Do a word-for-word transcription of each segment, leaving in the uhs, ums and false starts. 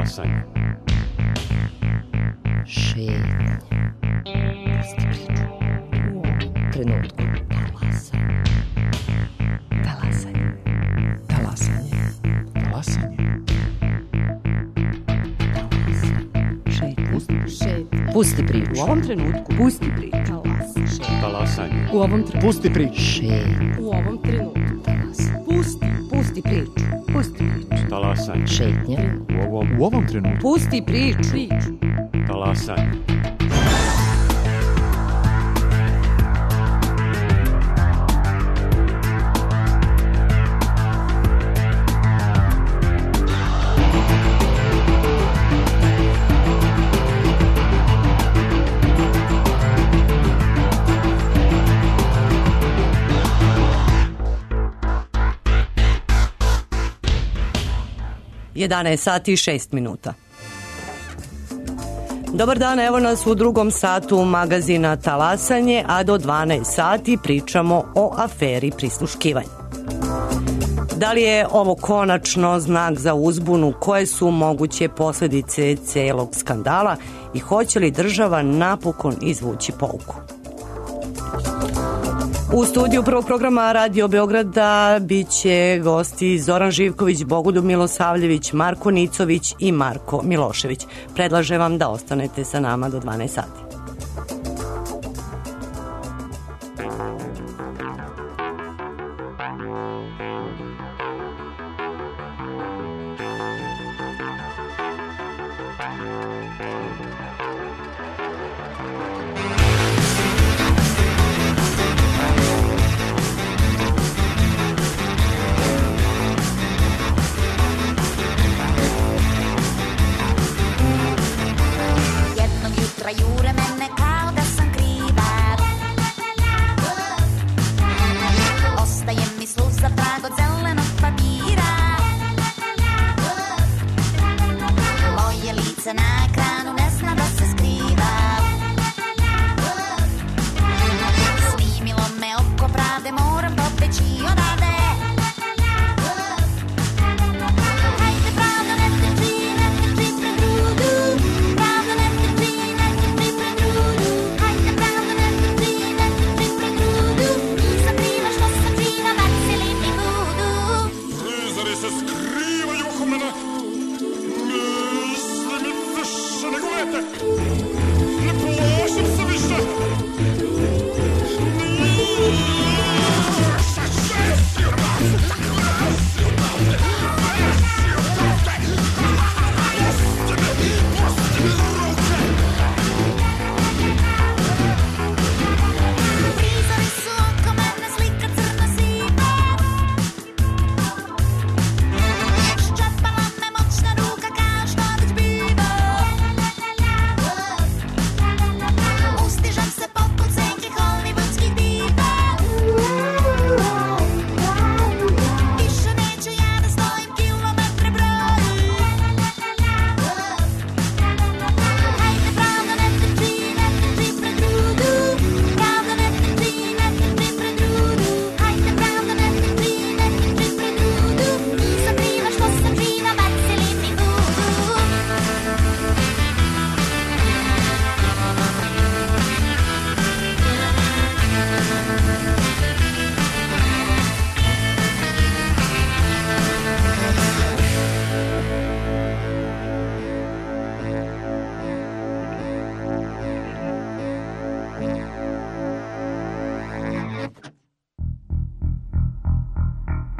Talasanje. Šetnja. Pusti priču. U ovom trenutku. Talasanje. Talasanje. Talasanje. Talasanje. Šetnja. Pusti priču. U ovom trenutku. Pusti priču. Talasanje. U ovom trenutku. Pusti priču. Šetnja. U ovom trenutku. Pusti. Pusti priču. Pusti priču. Talasanje. Šetnja. U ovom, U ovom trenutku. Pusti priču. Priču. talasanje. jedanaest sati i šest minuta. Dobar dan, evo nas u drugom satu magazina Talasanje, a do dvanaest sati pričamo o aferi prisluškivanja. Da li je ovo konačno znak za uzbunu, koje su moguće posledice celog skandala i hoće li država napokon izvući pouku? U studiju prvog programa Radio Beograda biće gosti Zoran Živković, Bogoljub Milosavljević, Marko Nicović i Marko Milošević. Predlažem vam da ostanete sa nama do dvanaest sati.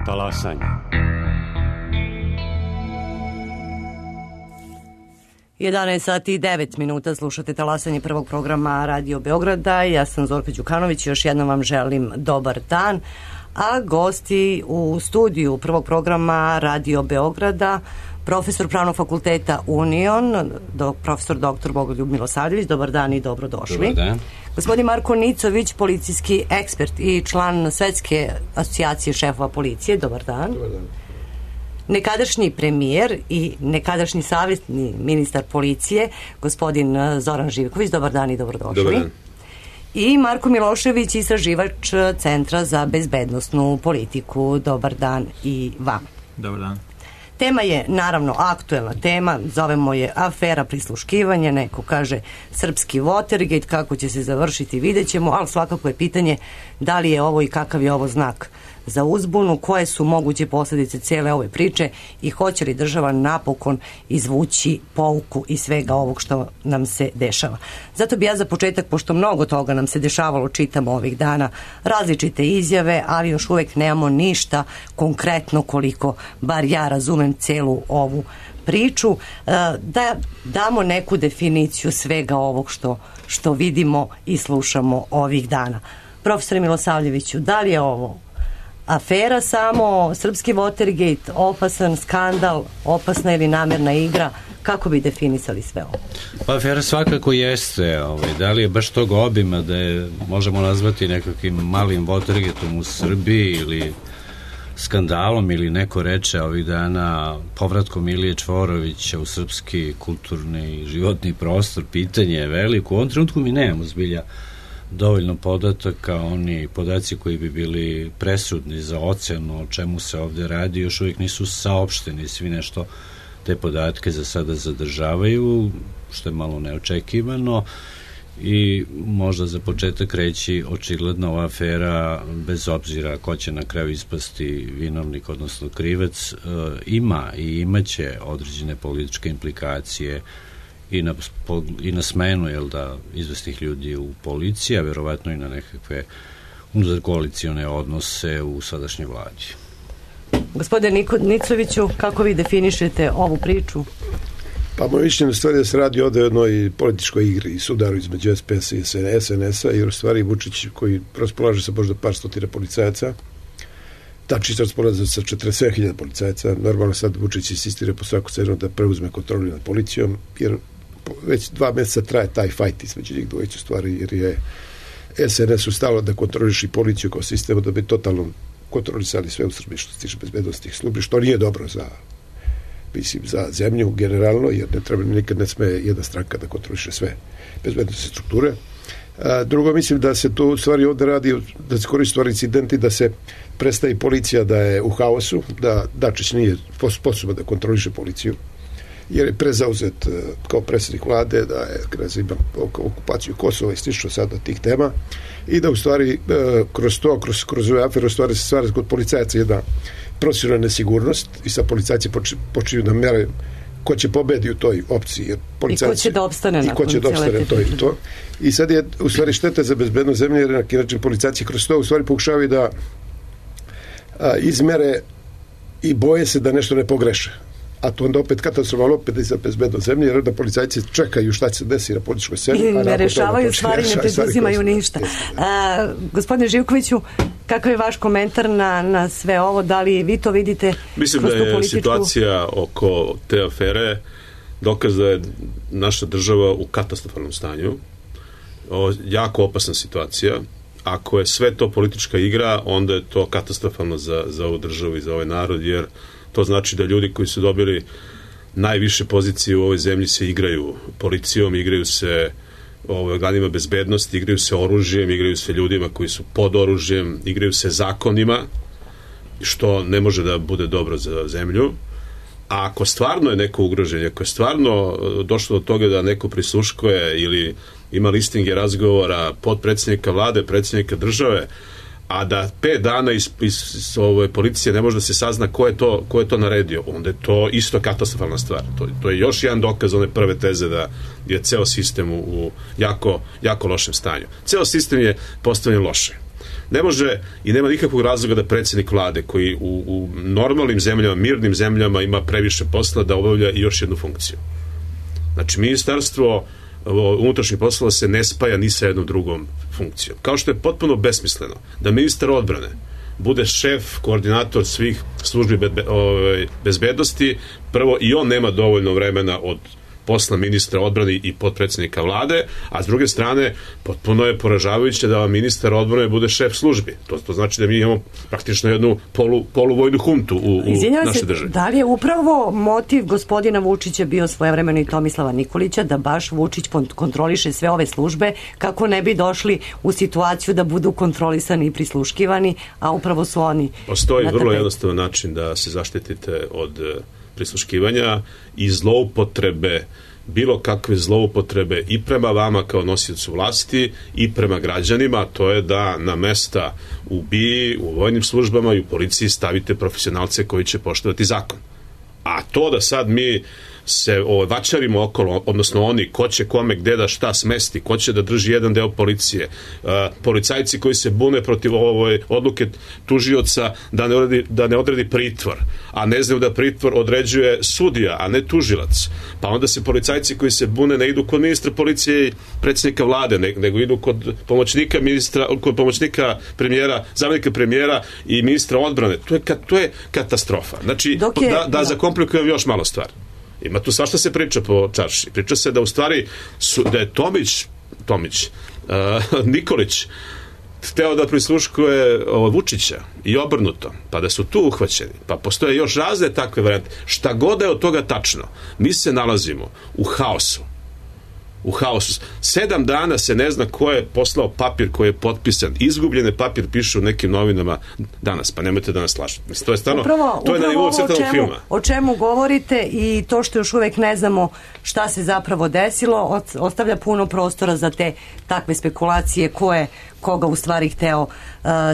Talasanje. jedanaest sati i devet minuta, slušate Talasanje prvog programa Radio Beograda. Ja sam Zorka Đukanović i još jednom vam želim dobar dan. A gosti u studiju prvog programa Radio Beograda, profesor Pravnog fakulteta Union, do, profesor doktor Bogoljub Milosavljević, dobar dan i dobrodošli. Dobar dan. Gospodin Marko Nicović, policijski ekspert i član Svetske asocijacije šefova policije, dobar dan. Dobar dan. Nekadašnji premijer i nekadašnji savjetni ministar policije, gospodin Zoran Živković, dobar dan i dobrodošli. Dobar dan. I Marko Milošević, istraživač Centra za bezbednosnu politiku, dobar dan i vam. Dobar dan. Tema je naravno aktuelna tema, zovemo je afera prisluškivanja, neko kaže srpski Watergate, kako će se završiti vidjet ćemo, ali svakako je pitanje da li je ovo i kakav je ovo znak za uzbunu, koje su moguće posljedice cijele ove priče i hoće li država napokon izvući pouku iz svega ovog što nam se dešava. Zato bi ja za početak, pošto mnogo toga nam se dešavalo, čitamo ovih dana različite izjave, ali još uvijek nemamo ništa konkretno, koliko bar ja razumem celu ovu priču, da damo neku definiciju svega ovog što, što vidimo i slušamo ovih dana. Profesore Milosavljeviću, da li je ovo afera samo, srpski Watergate, opasan skandal, opasna ili namjerna igra, kako bi definisali sve ovo? Pa afera svakako jeste, ovaj, da li je baš tog obima da je možemo nazvati nekakvim malim Watergateom u Srbiji ili skandalom, ili neko reče ovih dana povratkom Ilije Čvorovića u srpski kulturni i životni prostor, pitanje je veliko. U ovom trenutku mi nemamo zbilja dovoljno podataka, oni podaci koji bi bili presudni za ocenu o čemu se ovde radi još uvijek nisu saopšteni, svi nešto te podatke za sada zadržavaju, što je malo neočekivano i možda za početak reći očigledno ova afera, bez obzira ko će na kraju ispasti vinovnik, odnosno krivac, ima i imaće određene političke implikacije i na, i na smenu, jel da, izvesnih ljudi u policiji, a verovatno i na nekakve unutarkoalicione odnose u sadašnjoj vladi. Gospodine Nicoviću, kako vi definišete ovu priču? Pa moje mišljenje u stvari da se radi ovde o jednoj političkoj igri i sudaru između S P S i S N S-a, jer u stvari Vučić, koji raspolaže sa možda par stotina policajaca, tačnije raspolaže sa četrdeset sedam hiljada policajaca, normalno sad Vučić insistira po svaku cenu da preuzme kontrolu nad policijom, jer već dva meseca traje taj fajt između njih dvojicu stvari, jer je S N S ustalo da kontroliši policiju kao sistemu, da bi totalno kontrolisali sve u Srbiji što se tiče bezbednostnih službi, što nije dobro za, mislim, za zemlju generalno, jer ne treba, nikad ne sme jedna stranka da kontroliše sve bezbednostne strukture. A, drugo, mislim da se tu u stvari ovde radi, da se koristi stvari incidenti, da se prestavi policija da je u haosu, da Dačić nije sposoban da kontroliše policiju, jer je prezauzet kao predsjednik vlade, da je kreza ima okupaciju Kosova i slično sada tih tema, i da u stvari kroz to, kroz, kroz ove afere, u stvari se stvara kod policajaca jedna profesionalna nesigurnost i sa policajci počinju da mere ko će pobedi u toj opciji. Jer I ko će da opstane i ko će da opstane to i to. I sad je u stvari šteta za bezbednost zemlje, jer na neki način policajci kroz to u stvari pokušavaju da a, izmere i boje se da nešto ne pogreše. A to onda opet katastrofalno opet i za bezbednost zemlje, jer da policajci čekaju šta će se desiti na političkoj sceni. I ne rešavaju stvari, ne preduzimaju ništa. A, gospodine Živkoviću, kakav je vaš komentar na, na sve ovo? Da li vi to vidite? Mislim da je političku... situacija oko te afere dokaz da je naša država u katastrofalnom stanju. O, jako opasna situacija. Ako je sve to politička igra, onda je to katastrofalno za, za ovu državu i za ovaj narod, jer to znači da ljudi koji su dobili najviše pozicije u ovoj zemlji se igraju policijom, igraju se ovaj, organima bezbednosti, igraju se oružjem, igraju se ljudima koji su pod oružjem, igraju se zakonima, što ne može da bude dobro za zemlju. A ako stvarno je neko ugroženje, ako je stvarno došlo do toga da neko prisluškuje ili ima listinge razgovora podpredsjednika vlade, predsjednika države, a da pet dana iz, iz, iz ove policije ne može da se sazna ko je to, ko je to naredio, onda je to isto katastrofalna stvar. To, to je još jedan dokaz one prve teze da je ceo sistem u, u jako, jako lošem stanju. Ceo sistem je postavljen loše. Ne može i nema nikakvog razloga da predsjednik vlade, koji u, u normalnim zemljama, mirnim zemljama ima previše posla, da obavlja i još jednu funkciju. Znači, ministarstvo unutrašnjih poslova se ne spaja ni sa jednom drugom funkcijom. Kao što je potpuno besmisleno da ministar odbrane bude šef, koordinator svih službi bezbednosti, prvo i on nema dovoljno vremena od posla ministra odbrane i potpredsjednika vlade, a s druge strane potpuno je poražavajuće da ministar odbrane bude šef službi. To, to znači da mi imamo praktično jednu polu, poluvojnu huntu u, u našoj državi. Da li je upravo motiv gospodina Vučića bio svojevremeno i Tomislava Nikolića da baš Vučić kontroliše sve ove službe kako ne bi došli u situaciju da budu kontrolisani i prisluškivani, a upravo su oni. Postoji vrlo jednostavan način da se zaštitite od prisluškivanja i zloupotrebe, bilo kakve zloupotrebe i prema vama kao nosiocu vlasti i prema građanima, to je da na mesta u B I A, u vojnim službama i u policiji stavite profesionalce koji će poštovati zakon. A to da sad mi se vačarimo okolo, odnosno oni, ko će kome gde da šta smesti, ko će da drži jedan deo policije, uh, policajci koji se bune protiv ovoj odluke tužioca da ne, odredi, da ne odredi pritvor, a ne znaju da pritvor određuje sudija, a ne tužilac. Pa onda se policajci koji se bune ne idu kod ministra policije i predsjednika vlade, ne, nego idu kod pomoćnika ministra, kod pomoćnika premijera, zamjenika premijera i ministra odbrane. To je, to je katastrofa. Znači, je, da, da zakomplikujem još malo stvar. Ima tu svašta se priča po čarši. Priča se da u stvari su, da je Tomić, Tomić uh, Nikolić hteo da prisluškuje uh, Vučića i obrnuto, pa da su tu uhvaćeni. Pa postoje još razne takve varijante. Šta god je od toga tačno, mi se nalazimo u haosu. U haosu. Sedam dana se ne zna ko je poslao papir koji je potpisan. Izgubljene papir piše u nekim novinama danas, pa nemojte da nas lažete. Mislim, to je stvarno, upravo, to je na nivou crtanog filma. O čemu govorite i to što još uvek ne znamo šta se zapravo desilo, ostavlja puno prostora za te takve spekulacije ko je koga u stvari hteo uh,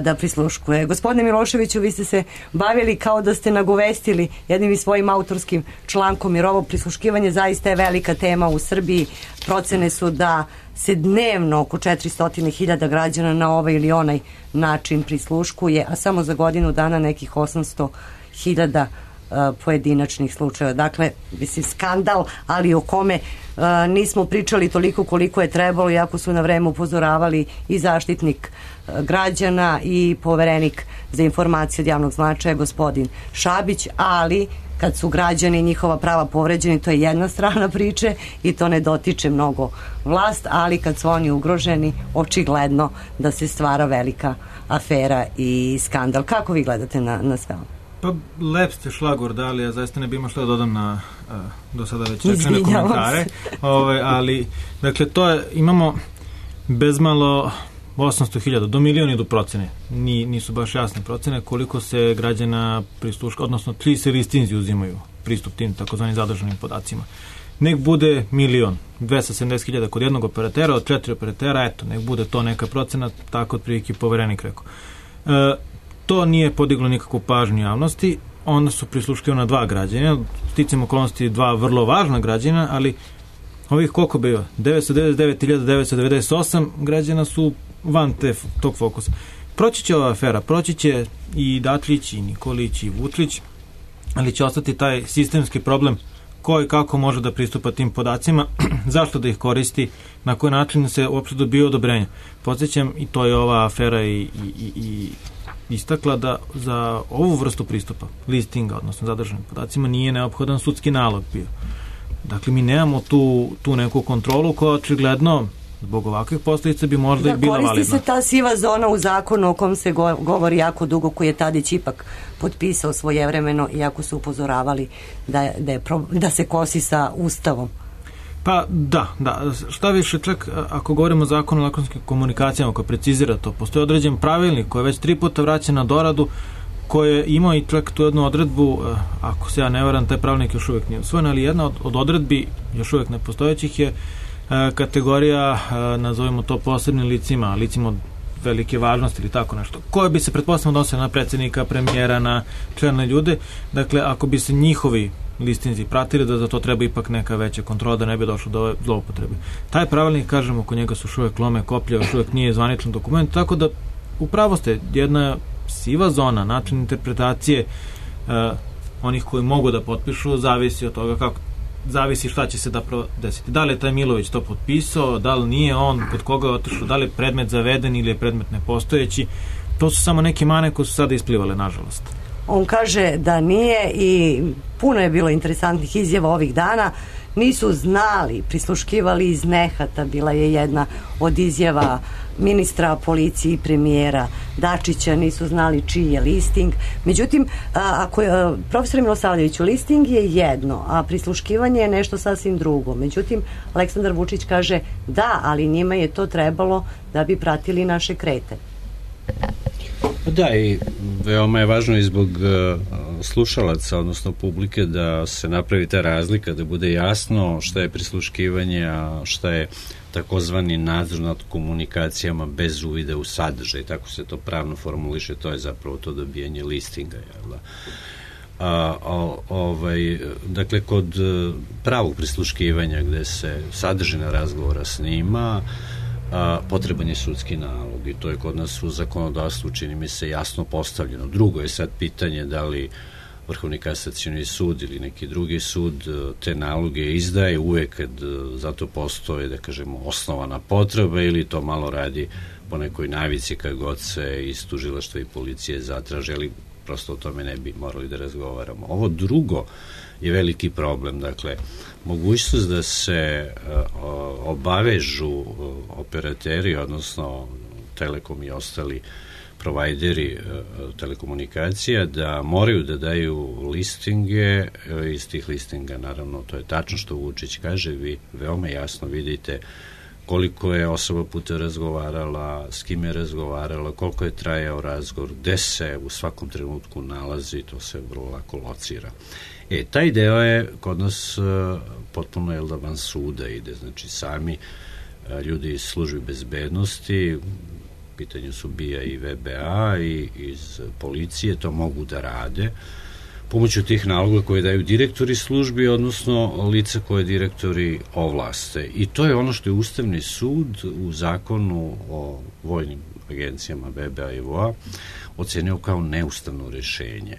da prisluškuje. Gospodine Miloševiću, vi ste se bavili kao da ste nagovestili jednim i svojim autorskim člankom, jer ovo prisluškivanje zaista je velika tema u Srbiji. Procene su da se dnevno oko četiristo hiljada građana na ovaj ili onaj način prisluškuje, a samo za godinu dana nekih osamsto hiljada pojedinačnih slučajeva. Dakle, mislim, skandal, ali o kome uh, nismo pričali toliko koliko je trebalo, iako su na vreme upozoravali i zaštitnik uh, građana i poverenik za informacije od javnog značaja, gospodin Šabić, ali kad su građani i njihova prava povređeni, to je jedna strana priče i to ne dotiče mnogo vlast, ali kad su oni ugroženi, očigledno da se stvara velika afera i skandal. Kako vi gledate na, na sve ovo? Pa lep ste šlagor dali, ja zaista ne bi imao što da dodam na uh, do sada već rečene komentare. Ove, ali, dakle, to je, imamo bezmalo osamsto hiljada, do milion idu procene. Ni, nisu baš jasne procene koliko se građana prisluška, odnosno tri se listinzi uzimaju pristup tim takozvanim zadržanim podacima. Nek bude milion, dvesta sedamdeset hiljada kod jednog operatera, od četiri operatera, eto, nek bude to neka procena, tako otprilike poverenik rekao. E, To nije podiglo nikakvu pažnju javnosti, onda su prisluškivana dva građana, sticam okolnosti dva vrlo važna građana, ali ovih koliko bio? devetsto devedeset devet hiljada devetsto devedeset osam građana su van te, tog fokusa. Proći će ova afera, proći će i Dačić, i Nikolić, i Vučić, ali će ostati taj sistemski problem ko i kako može da pristupa tim podacima, zašto da ih koristi, na koji način se uopšte dobije odobrenje. Podsjećam, i to je ova afera i, i, i, i istakla da za ovu vrstu pristupa, listinga, odnosno zadržanim podacima, nije neophodan sudski nalog bio. Dakle, mi nemamo tu, tu neku kontrolu koja očigledno zbog ovakvih posljedica bi možda da, i bila validna. Da, koristi se ta siva zona u zakonu o kom se go, govori jako dugo, koji je Tadić ipak potpisao svojevremeno, iako su upozoravali da, da, je, da se kosi sa Ustavom. Pa da, da. Šta više, čak ako govorimo o zakonu o elektronskim komunikacijama koji precizira to, postoji određen pravilnik koji je već tri puta vraćen na doradu, koji je imao i čak tu jednu odredbu, ako se ja ne varam, taj pravilnik još uvijek nije usvojen, ali jedna od, od odredbi još uvijek nepostojećih je kategorija, nazovimo to posebnim licima, licima od velike važnosti ili tako nešto, koje bi se pretpostavljamo odnosili na predsjednika, premijera, na čelne ljude. Dakle, ako bi se njihovi listinzi pratili, da za to treba ipak neka veća kontrola, da ne bi došlo do ove zloupotrebe. Taj pravilnik, kažemo, oko njega su još uvijek lome koplje, još uvijek nije zvaničan dokument, tako da upravo ste jedna siva zona, način interpretacije uh, onih koji mogu da potpišu, zavisi od toga kako, zavisi šta će se da desiti. Da li je taj Milović to potpisao, da li nije on, kod koga je otišao, da li je predmet zaveden ili je predmet nepostojeći. To su samo neke mane koje su sada isplivale, nažalost. On kaže da nije i puno je bilo interesantnih izjava ovih dana. Nisu znali, prisluškivali iz nehata, bila je jedna od izjava ministra policije i premijera Dačića, nisu znali čiji je listing. Međutim, ako je, profesor Milosavljeviću, listing je jedno, a prisluškivanje je nešto sasvim drugo. Međutim, Aleksandar Vučić kaže da, ali njima je to trebalo da bi pratili naše krete. Da, i veoma je važno i zbog uh, slušalaca, odnosno publike, da se napravi ta razlika, da bude jasno šta je prisluškivanje, a šta je takozvani nadzor nad komunikacijama bez uvida u sadržaj, tako se to pravno formuliše, to je zapravo to dobijanje listinga, jel da? A, a, ovaj, dakle, kod pravog prisluškivanja gde se sadržina razgovora snima, a, potreban je sudski nalog i to je kod nas u zakonodavstvu, čini mi se, jasno postavljeno. Drugo je sad pitanje da li Vrhovni kasacioni sud ili neki drugi sud te naloge izdaje uvek kad zato postoje, da kažemo, osnovana potreba ili to malo radi po nekoj navici kad god se iz tužilaštva i policije zatraže, ali prosto o tome ne bi morali da razgovaramo. Ovo drugo je veliki problem, dakle, mogućnost da se uh, obavežu operateri, odnosno Telekom i ostali provajderi uh, telekomunikacija, da moraju da daju listinge, uh, iz tih listinga, naravno, to je tačno što Vučić kaže, vi veoma jasno vidite koliko je osoba puta razgovarala, s kim je razgovarala, koliko je trajao razgovor, gde se u svakom trenutku nalazi, to se vrlo lako locira. E, taj deo je kod nas uh, potpuno jel da van suda ide, znači sami uh, ljudi iz službi bezbednosti, pitanju su B I A i V B A i iz policije, to mogu da rade pomoću tih naloga koje daju direktori službi, odnosno lica koje direktori ovlaste. I to je ono što je Ustavni sud u zakonu o vojnim agencijama V B A i V O A ocenio kao neustavno rešenje.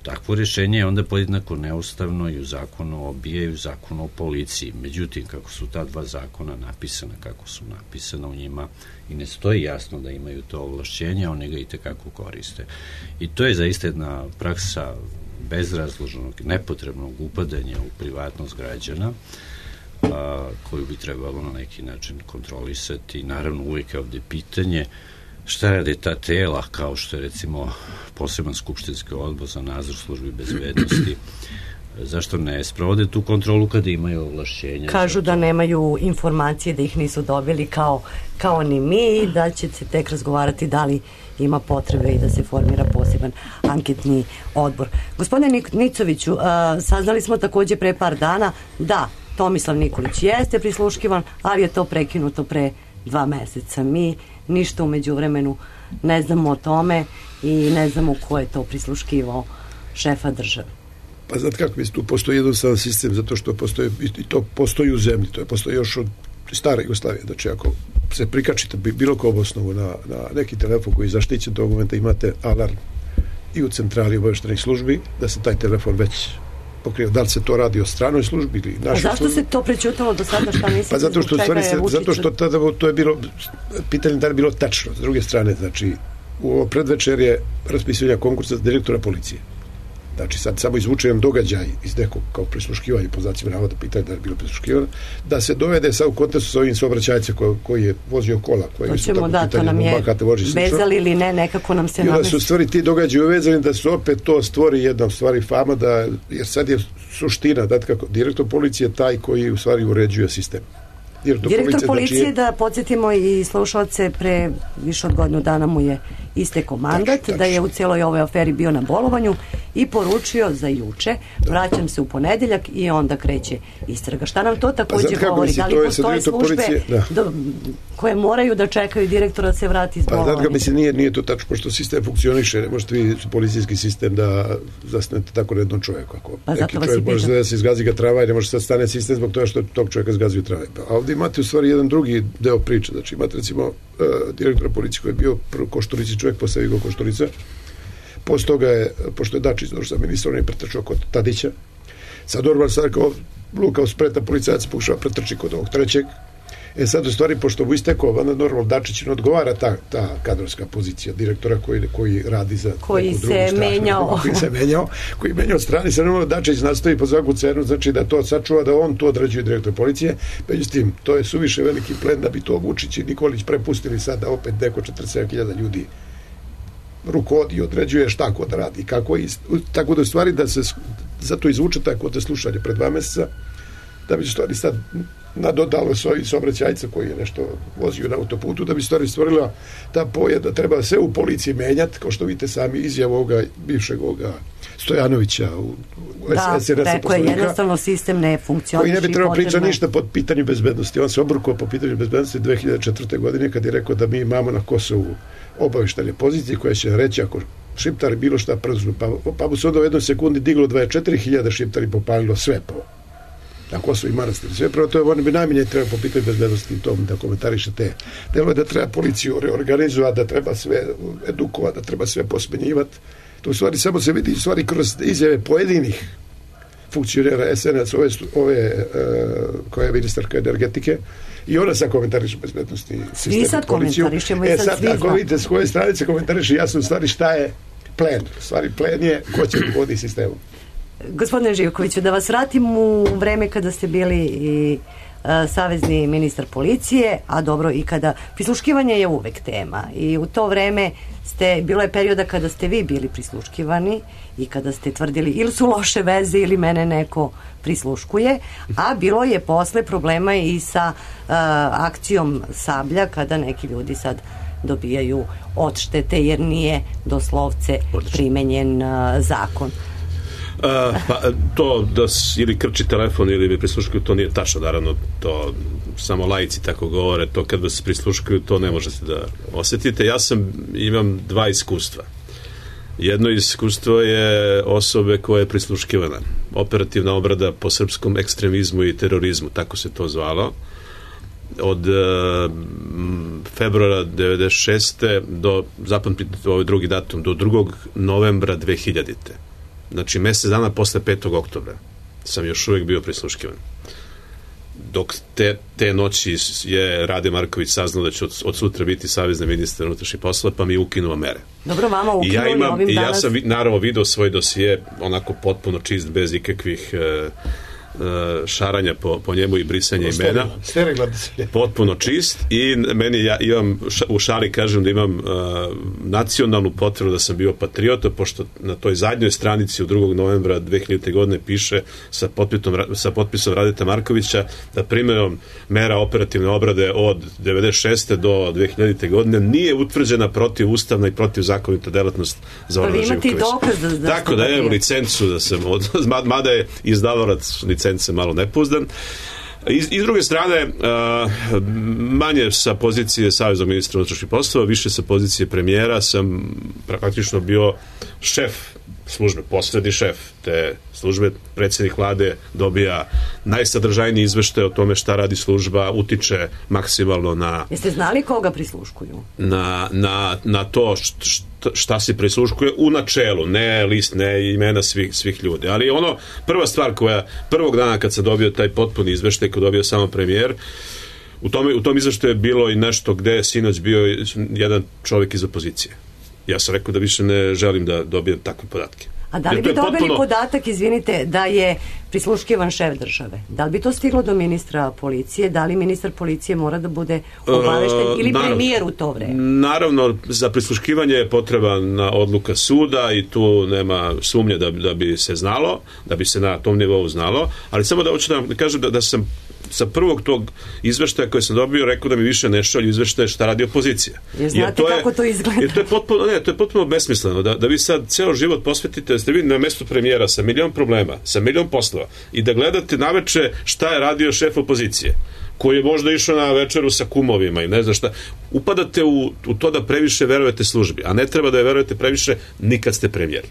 Takvo rešenje je onda podjednako neustavno i u zakonu o B I A i u zakonu o policiji. Međutim, kako su ta dva zakona napisana, kako su napisana u njima i ne stoji jasno da imaju to ovlašćenje, oni ga i tekako koriste. I to je zaista jedna praksa bezrazloženog, nepotrebnog upadanja u privatnost građana, a, koju bi trebalo na neki način kontrolisati. Naravno, uvijek je ovde pitanje šta rade ta tela, kao što je recimo poseban skupštinski odbor za nadzor službi bezbednosti, zašto ne sprovode tu kontrolu kada imaju ovlašćenja? Kažu da nemaju informacije, da ih nisu dobili kao, kao ni mi, da će se tek razgovarati da li ima potrebe i da se formira poseban anketni odbor. Gospodine Nicoviću, a, saznali smo takođe pre par dana da Tomislav Nikolić jeste prisluškivan, ali je to prekinuto pre dva meseca. Mi ništa umeđu vremenu ne znamo o tome i ne znamo ko je to prisluškivao šefa države. Pa znate kako, tu postoji jednostavan sistem, zato što postoji, i to postoji u zemlji, to je postoji još od stare Jugoslavije, znači ako se prikačite bilo ko osnovu na, na neki telefon koji je zaštićen, tog momenta imate alarm i u centrali obaveštenih službi da se taj telefon već pokrio. Da li se to radi o stranoj službi ili našoj službi? A zašto se to prećutalo do sada, šta mislite? Pa zato što, stvari se, zato što tada to je bilo, pitanje da je bilo tačno. S druge strane, znači, u ovo predvečer je raspisivanja konkursa za direktora policije. Znači, sad samo izvučujem događaj iz nekog kao prisluškivanje, po znacima navoda, pitanje da je bilo prisluškivano, da se dovede sad u kontekstu sa ovim saobraćajcem koji, koji je vozio kola, koji je tako da, pitanje, to nam je vezali ili ne, nekako nam se namesti. I onda su stvari ti događaji uvezani da su opet to stvori jedna stvari fama, da, jer sad je suština, da kako, direktor policije je taj koji u stvari uređuje sistem. Direktor, direktor policije, policije znači, da podsjetimo i slušalce, pre više od godinu dana mu je istekao mandat, tač, tač. da je u celoj ovoj aferi bio na bolovanju i poručio za juče, da. vraćam se u ponedeljak i onda kreće istraga. Šta nam to takođe pa govori? Da li postoje službe da. do, koje moraju da čekaju direktora da se vrati iz bolovanja? Pa, znači, mislim, nije, nije to tačno, pošto sistem funkcioniše, ne možete vi policijski sistem da zasnete tako na jednom čovjeku. Ako pa, neki čovjek može da se izgazi ga trava i ne može sad stane sistem zbog toga što tog čovjeka zgazi u trave. A ovdje imate u stvari jedan drugi deo priče, znači imate recimo uh, direktora policije koji je bio prvo Košturici čovjek, posle Igo Košturica, posle toga je, pošto je Dačić došao sa ministrom, on je pretrčao kod Tadića, sad normalno sad kao lukao spreta policajac pokušava pretrči kod ovog trećeg. E sad u stvari, pošto mu istekao, onda normalno Dačić ne odgovara ta, ta kadrovska pozicija direktora koji, koji radi za koji neku drugu stranu. Menjao. Koji se menjao. Koji menjao strani. Sad normalno Dačić nastoji po svaku cenu, znači da to sačuva, da on to određuje direktor policije. Međutim, to je suviše veliki plen da bi to Vučić i Nikolić prepustili sad da opet neko četrdeset sedam hiljada ljudi rukovodi i određuje šta ko da radi. Kako i, tako da u stvari da se zato izvuče tako te slušanje pred dva meseca, da bi stvari sad nadodalo svoj saobraćajca koji je nešto vozio na autoputu, da bi stvari stvorila ta poja da treba sve u policiji menjati, kao što vidite sami izjavu ovoga bivšeg ovoga Stojanovića u, u da, S N S-a rekao je, jednostavno sistem ne funkcioniše. Koji ne bi trebao potrebno... pričati ništa po pitanju bezbednosti. On se obrukao po pitanju bezbednosti dve hiljade četvrte. godine kad je rekao da mi imamo na Kosovu obaveštene pozicije koje će reći ako Šiptari bilo šta preznu, pa, pa mu se onda u jednoj sekundi diglo dvadeset četiri hiljade Šiptari popalilo sve po na Kosovo i manastir. Sve prvo to je, on bi najmanje treba po pitanju bezbednosti tom da komentariše te. Delo je da treba policiju reorganizovati, da treba sve edukovati, da treba sve posmenjivati. To u stvari samo se vidi u stvari kroz izjave pojedinih funkcionera S N S, ove, ove uh, koja je ministarka energetike, i ona sad komentariše bezbednosti sistema. Svi sad komentarišemo i e, sad, sad svi ako vidite s koje stranice komentariše jasno u stvari šta je plen. U stvari plen je ko će vodi sistemom. Gospodine Živkoviću, da vas vratim u vreme kada ste bili i uh, savezni ministar policije, a dobro i kada prisluškivanje je uvek tema i u to vreme ste, bilo je perioda kada ste vi bili prisluškivani i kada ste tvrdili ili su loše veze ili mene neko prisluškuje, a bilo je posle problema i sa uh, akcijom Sablja kada neki ljudi sad dobijaju odštete jer nije doslovce primenjen uh, zakon. Uh, pa to da ili krči telefon ili bi prisluškuju, to nije tačno, naravno to samo laici tako govore, to kad vas prisluškuju to ne možete da osetite. Ja sam, imam dva iskustva. Jedno iskustvo je osobe koja je prisluškivana, operativna obrada po srpskom ekstremizmu i terorizmu, tako se to zvalo, od uh, februara devedeset šeste do, zapamtite ovaj drugi datum, do drugog novembra dve hiljadite. Znači, mesec dana posle petog oktobra sam još uvijek bio prisluškivan. Dok te, te noći je Rade Marković saznao da će od, od sutra biti savezni ministar unutrašnjih poslova, pa mi je ukinuo mere. Dobro, vama ukinuli ja imam, ovim i danas... ja sam naravno video svoj dosije onako potpuno čist, bez ikakvih e, šaranja po, po njemu i brisanja imena. Potpuno čist i meni, ja imam, u šali kažem da imam uh, nacionalnu potrebu da sam bio patriota, pošto na toj zadnjoj stranici u drugog novembra dve hiljadite. godine piše sa potpisom, sa potpisom Radeta Markovića da primjenom mera operativne obrade od devedeset šeste. do dve hiljadite. godine nije utvrđena protivustavna i protivzakonita delatnost Zorana Živkovića. Da Tako da imam licencu da sam od, mada je izdavalac licence malo nepouzdan. I, i s druge strane, uh, manje sa pozicije saveznog ministra unutrašnjih poslova, više sa pozicije premijera sam praktično bio šef službe, poslednji šef te službe. Predsjednik vlade dobija najsadržajniji izveštaj o tome šta radi služba, utiče maksimalno na... Jeste znali koga prisluškuju? Na, na, na to šta, šta se prisluškuje u načelu, ne list, ne imena svih, svih ljudi. Ali ono, prva stvar koja, prvog dana kad sam dobio taj potpuni izveštaj, kad dobio samo premijer, u, tome, u tom izveštaju je bilo i nešto gde je sinoć bio jedan čovjek iz opozicije. Ja sam rekao da više ne želim da dobijem takve podatke. A da li bi dobili potpuno... podatak, izvinite, da je prisluškivan šef države? Da li bi to stiglo do ministra policije? Da li ministar policije mora da bude obavešten ili uh, premijer u to vreme? Naravno, za prisluškivanje je potrebna odluka suda i tu nema sumnje da, da bi se znalo, da bi se na tom nivou znalo, ali samo da hoću da kažem da, da sam sa prvog tog izveštaja koje sam dobio rekao da mi više ne šalju izveštaje šta radi opozicija. Jer znate jer to kako je, to izgleda? Jer to je potpuno, ne, to je potpuno besmisleno. Da, da vi sad ceo život posvetite, da ste vi na mestu premijera sa milion problema, sa milion poslova i da gledate naveče šta je radio šef opozicije, koji je možda išao na večeru sa kumovima i ne znam šta. Upadate u, u to da previše verujete službi, a ne treba da je verujete previše ni kad ste premijer.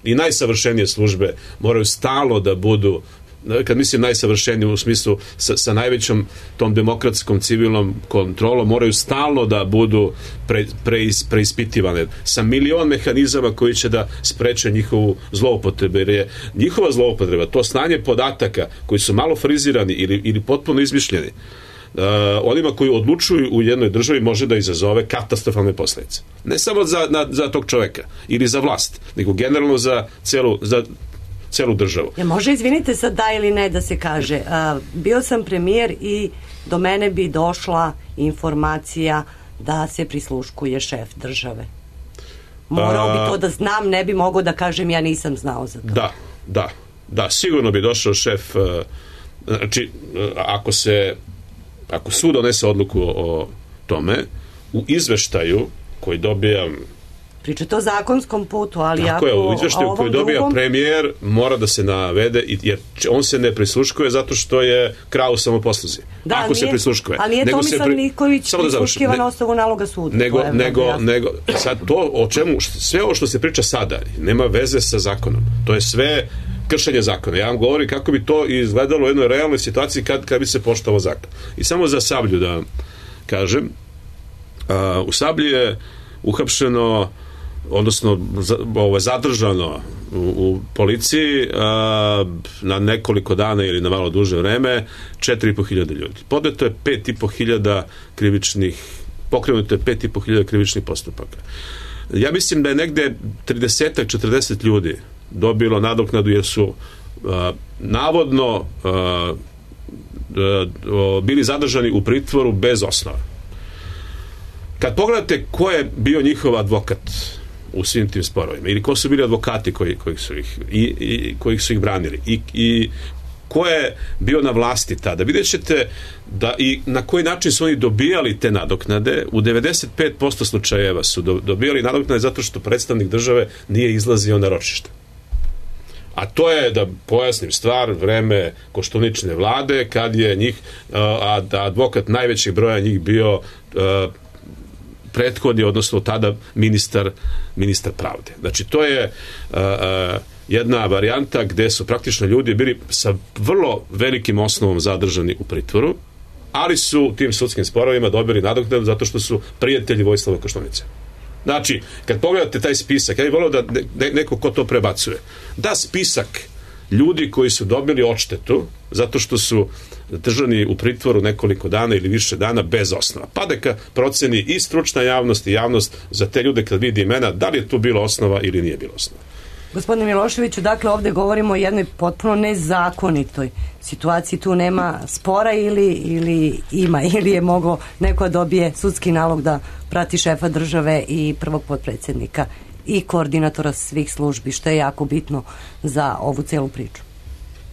I najsavršenije službe moraju stalno da budu, kad mislim najsavršenije u smislu sa, sa najvećom tom demokratskom civilnom kontrolom, moraju stalno da budu pre, preis, preispitivane sa milion mehanizama koji će da spreče njihovu zloupotrebu, jer je njihova zloupotreba, to stanje podataka koji su malo frizirani ili, ili potpuno izmišljeni, uh, onima koji odlučuju u jednoj državi može da izazove katastrofalne posledice. Ne samo za, na, za tog čoveka ili za vlast, nego generalno za celu, za celu državu. Ja, može, izvinite sad da ili ne da se kaže, a, bio sam premijer i do mene bi došla informacija da se prisluškuje šef države. Morao bi to da znam, ne bi mogao da kažem ja nisam znao za to. Da, da, da, sigurno bi došao šef, znači, ako se ako sud donese odluku o tome, u izveštaju koji dobijam pričate o zakonskom putu, ali tako ako... je, u izveštaju koji dobija drugom... premijer mora da se navede, jer on se ne prisluškuje zato što je krao u samoposluzi. Da, ako nije, se prisluškuje. Ali nije nego Tomislav pri... Nikolić prisluškiva ne, na osnovu naloga suda. Nego, nego, nego, sad to o čemu, sve ovo što se priča sada, nema veze sa zakonom. To je sve kršenje zakona. Ja vam govorim kako bi to izgledalo u jednoj realnoj situaciji kad, kad bi se poštovao zakon. I samo za Sablju da kažem, a, u Sablji je uhapšeno, odnosno ovo, zadržano u, u policiji a, na nekoliko dana ili na malo duže vreme četiri i po hiljade ljudi. Podneto je pet i po hiljada krivičnih, pokrenuto je pet i po hiljada krivičnih postupaka. Ja mislim da je negde trideset do četrdeset ljudi dobilo nadoknadu jer su a, navodno a, a, a, bili zadržani u pritvoru bez osnova. Kad pogledate ko je bio njihov advokat u svim tim sporovima ili ko su bili advokati koji, koji su ih i, i koji su ih branili i, i ko je bio na vlasti tada, vidjet ćete da i na koji način su oni dobijali te nadoknade. U devedeset pet posto slučajeva su do, dobijali nadoknade zato što predstavnik države nije izlazio na ročište. A to je, da pojasnim stvar, vreme Koštuničine vlade, kad je njih, a da advokat najvećeg broja njih bio a, prethodni, odnosno tada ministar, ministar pravde. Znači, to je a, a, jedna varijanta gde su praktično ljudi bili sa vrlo velikim osnovom zadržani u pritvoru, ali su u tim sudskim sporovima dobili nadoknadu zato što su prijatelji Vojislava Koštunice. Znači, kad pogledate taj spisak, ja bih volio da ne, neko ko to prebacuje, da spisak ljudi koji su dobili odštetu zato što su držani u pritvoru nekoliko dana ili više dana bez osnova. Pa da proceni i stručna javnost i javnost za te ljude kad vidi imena, da li je tu bilo osnova ili nije bilo osnova. Gospodine Miloševiću, dakle ovdje govorimo o jednoj potpuno nezakonitoj situaciji, tu nema spora ili, ili ima, ili je moglo neko dobije sudski nalog da prati šefa države i prvog potpredsjednika i koordinatora svih službi, što je jako bitno za ovu celu priču.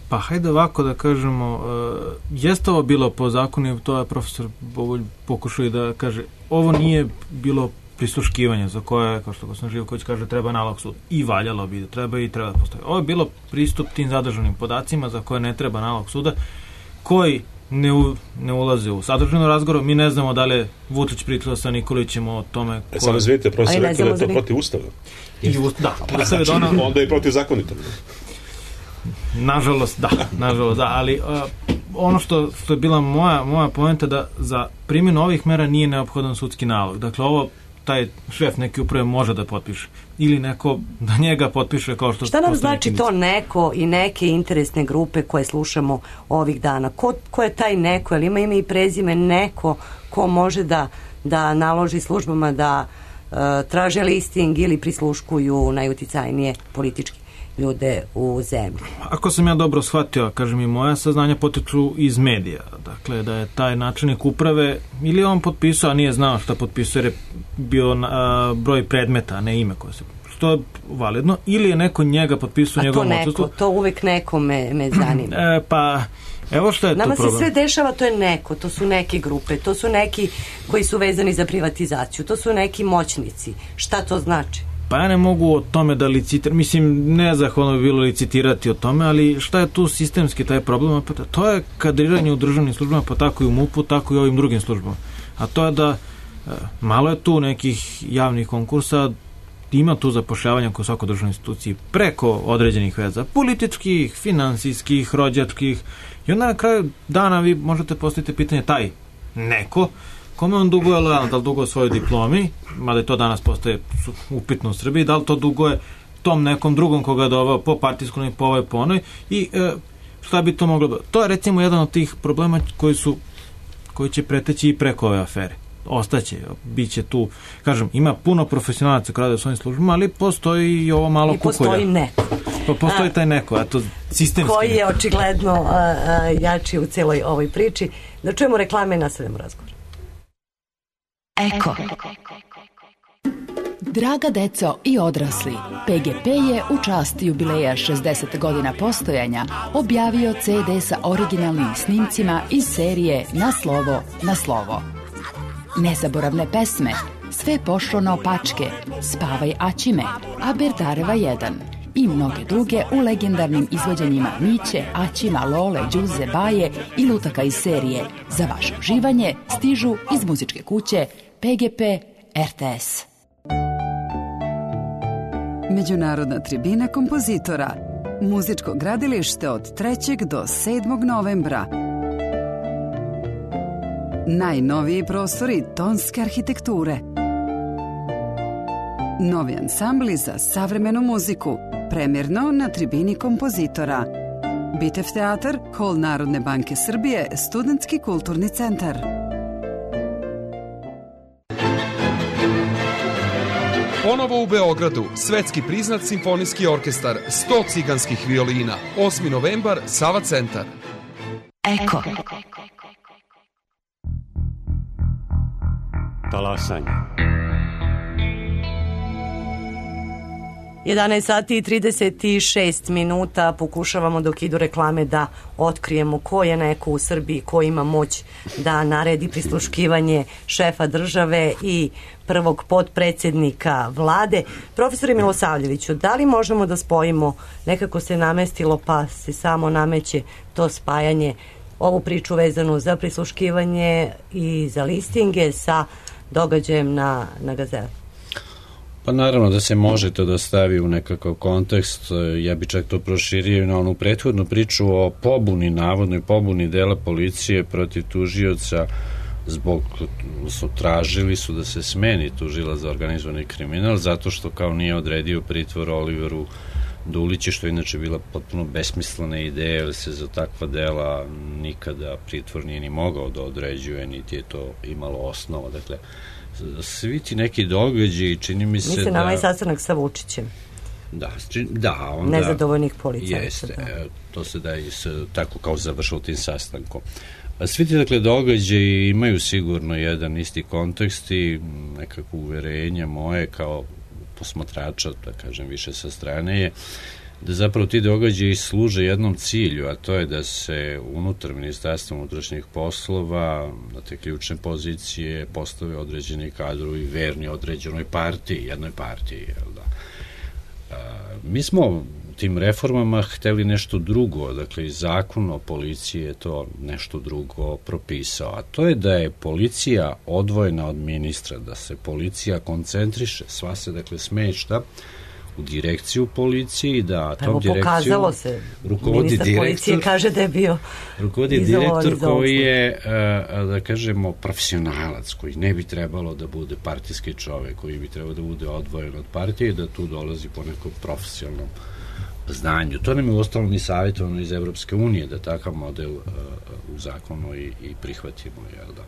Pa hajde ovako da kažemo, uh, jeste ovo bilo po zakonu, to je profesor Bovolj pokušao i da kaže, ovo nije bilo prisluškivanje za koje, kao što gospodin Živković kaže, treba nalog suda. I valjalo bi da treba i treba da postoji. Ovo je bilo pristup tim zadržanim podacima za koje ne treba nalog suda, koji ne, u, ne ulaze u sadržanu razgovor. Mi ne znamo da li je Vučić pričao sa Nikolićem o tome... E sad razvijete, profesor rekao da je to protiv ustava. I ust, da, ustav je da ona... Onda je protiv zakonito. Nažalost, da, nažalost, da, ali uh, ono što, što je bila moja, moja poenta da za primjenu ovih mera nije neophodan sudski nalog. Dakle, ovo taj šef neke uprave može da potpiše. Ili neko da njega potpiše kao što... Šta nam znači to neko i neke interesne grupe koje slušamo ovih dana? Ko, ko je taj neko? Jel ima ime i prezime neko ko može da, da naloži službama da uh, traže listing ili prisluškuju najuticajnije politički ljude u zemlji? Ako sam ja dobro shvatio, kažem i moja saznanja potiču iz medija. Dakle, da je taj načelnik uprave ili on potpisao, a nije znao šta potpisao, jer je bio a, broj predmeta, a ne ime koje se... Što je validno. Ili je neko njega potpisao u njegovom odsustvu. A to neko, to uvek neko me, me zanima. E, pa, evo što je Nama to problem. Nama se sve dešava, to je neko, to su neke grupe, to su neki koji su vezani za privatizaciju, to su neki moćnici. Šta to znači? Pa ja ne mogu o tome da licitiram, mislim, nezahvalno bi bilo licitirati o tome, ali šta je tu sistemski taj problem? Pa to je kadriranje u državnim službama, pa tako i u MUP-u, tako i u ovim drugim službama. A to je da e, malo je tu nekih javnih konkursa, ima tu zapošljavanja kod svakoj državnoj instituciji preko određenih veza, političkih, finansijskih, rođačkih, i onda na kraju dana vi možete postaviti pitanje taj neko, kome on duguje lojalno, da li duguje svojoj diplomi, mada je to danas postaje upitno u Srbiji, da li to duguje tom nekom drugom koga je doveo po partijskom i po ovoj po onoj, i e, šta bi to moglo... To je recimo jedan od tih problema koji su koji će preteći i preko ove afere. Ostaće, bit će tu, kažem, ima puno profesionalaca koji rade u svojim službama, ali postoji i ovo malo kukolja. I postoji neko. Pa postoji taj neko, a to sistemski. Koji je očigledno a, a, jači u celoj ovoj priči. Da čujemo reklame i nastavljamo razgovor. Eko. Draga deco i odrasli, P G P je u čast jubileja šezdeset godina postojanja objavio ce de sa originalnim snimcima iz serije Na slovo, na slovo. Nezaboravne pesme, Sve pošlo na opačke, Spavaj Aćime, a Berdareva jedan i mnoge druge u legendarnim izvođenjima Miće, Aćima, Lole, Đuze, Baje i lutaka iz serije. Za vaše uživanje stižu iz muzičke kuće P G P R T S. Međunarodna tribina kompozitora. Muzičko gradilište od trećeg do sedmog novembra. Najnoviji prostori tonske arhitekture. Novi ansambli za savremenu muziku. Premjerno na tribini kompozitora. Bitev teatar, Hol Narodne banke Srbije, Studentski kulturni centar. Ponovo u Beogradu, svetski priznat simfonijski orkestar, sto ciganskih violina, osmi novembar, Sava centar. Eko. Talasanje. jedanaest sati i trideset šest minuta, pokušavamo dok idu reklame da otkrijemo ko je neko u Srbiji ko ima moć da naredi prisluškivanje šefa države i prvog potpredsjednika vlade. Profesore Milosavljeviću, da li možemo da spojimo, nekako se namestilo pa se samo nameće to spajanje, ovu priču vezanu za prisluškivanje i za listinge sa događajem na, na Gazeli? Pa naravno da se može to da stavi u nekakav kontekst, ja bi čak to proširio na onu prethodnu priču o pobuni, navodnoj pobuni dela policije protiv tužioca zbog, su tražili su da se smeni tužila za organizovani kriminal zato što kao nije odredio pritvor Oliveru Duliću, što je inače bila potpuno besmislena ideja, jer se za takva dela nikada pritvor nije ni mogao da određuje, niti je to imalo osnova. Dakle, svi ti neki događaji, čini mi se Mislim, da... Mislim, na ovaj sastanak sa Vučićem. Da, da, onda... Nezadovoljnih policajaca. Jeste, da. To se da i s, tako kao završilo tim sastankom. A svi ti, dakle, događaji imaju sigurno jedan isti kontekst i nekako uverenja moje kao posmatrača, da kažem više sa strane, je da zapravo ti događaji služe jednom cilju, a to je da se unutar Ministarstva unutrašnjih poslova na te ključne pozicije postave određeni kadrovi verni određenoj partiji, jednoj partiji. Jel da? A, mi smo tim reformama hteli nešto drugo, dakle i zakon o policiji je to nešto drugo propisao, a to je da je policija odvojena od ministra, da se policija koncentriše, sva se dakle smešta u direkciju policije i da tom Evo, direkciju pokazalo se, rukovodi ministar direktor, policije kaže da je bio rukovodi direktor koji je, da kažemo, profesionalac, koji ne bi trebalo da bude partijski čovek, koji bi trebalo da bude odvojen od partije i da tu dolazi po nekom profesionalnom znanju. To nam je uostalom i savjetovano iz Evropske unije, da takav model uh, u zakonu i, i prihvatimo. Jel da?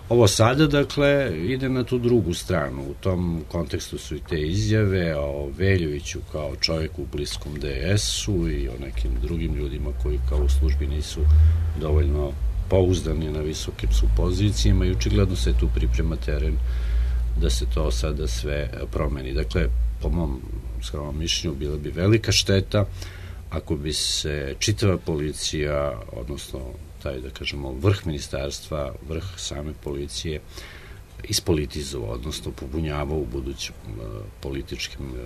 Ovo sada, dakle, ide na tu drugu stranu. U tom kontekstu su i te izjave o Veljoviću kao čovjeku u bliskom D S-u i o nekim drugim ljudima koji kao u službi nisu dovoljno pouzdani na visokim su pozicijama i očigledno se tu priprema teren da se to sada sve promeni. Dakle, po mom skromnom mišljenju bila bi velika šteta ako bi se čitava policija, odnosno taj, da kažemo, vrh ministarstva, vrh same policije ispolitizovao, odnosno pobunjavao u budućim uh, političkim uh,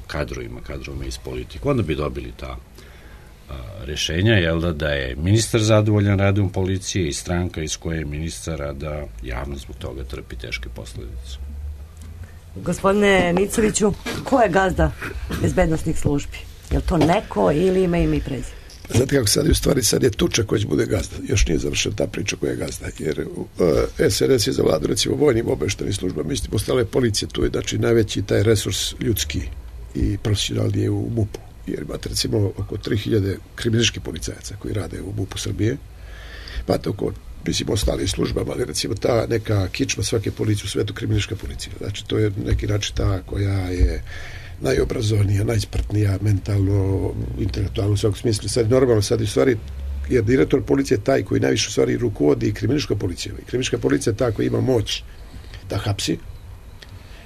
kadrovima, kadrovima iz politike. Onda bi dobili ta uh, rešenja, jel da, da je ministar zadovoljan radom policije i stranka iz koje je ministar, da javno zbog toga trpi teške posledice. Gospodine Nicoviću, ko je gazda bezbednostnih službi? Je li to neko ili ima ime i prezime? Znate kako sad je u stvari, sad je Tuča koji će bude gazda. Još nije završena ta priča koja je gazda. Jer uh, S N S je za vladu, recimo, vojnim obaveštajnim službama. Mislim, postale policije, tu je, znači, najveći taj resurs ljudski i profesionalni je u MUP-u. Jer imate, recimo, oko tri hiljade kriminalističkih policajaca koji rade u MUP-u Srbije. Imate oko, mislim, ostali službama, ali recimo ta neka kičma svake policije u svetu, kriminalistička policija. Znači, to je neki način ta koja je najobrazovnija, najsprtnija, mentalno, intelektualno u svakom smislu. Sad normalno, sad u stvari, jer direktor policije je taj koji najviše u stvari rukovodi kriminalistička policija. I kriminalistička policija je ta koja ima moć da hapsi,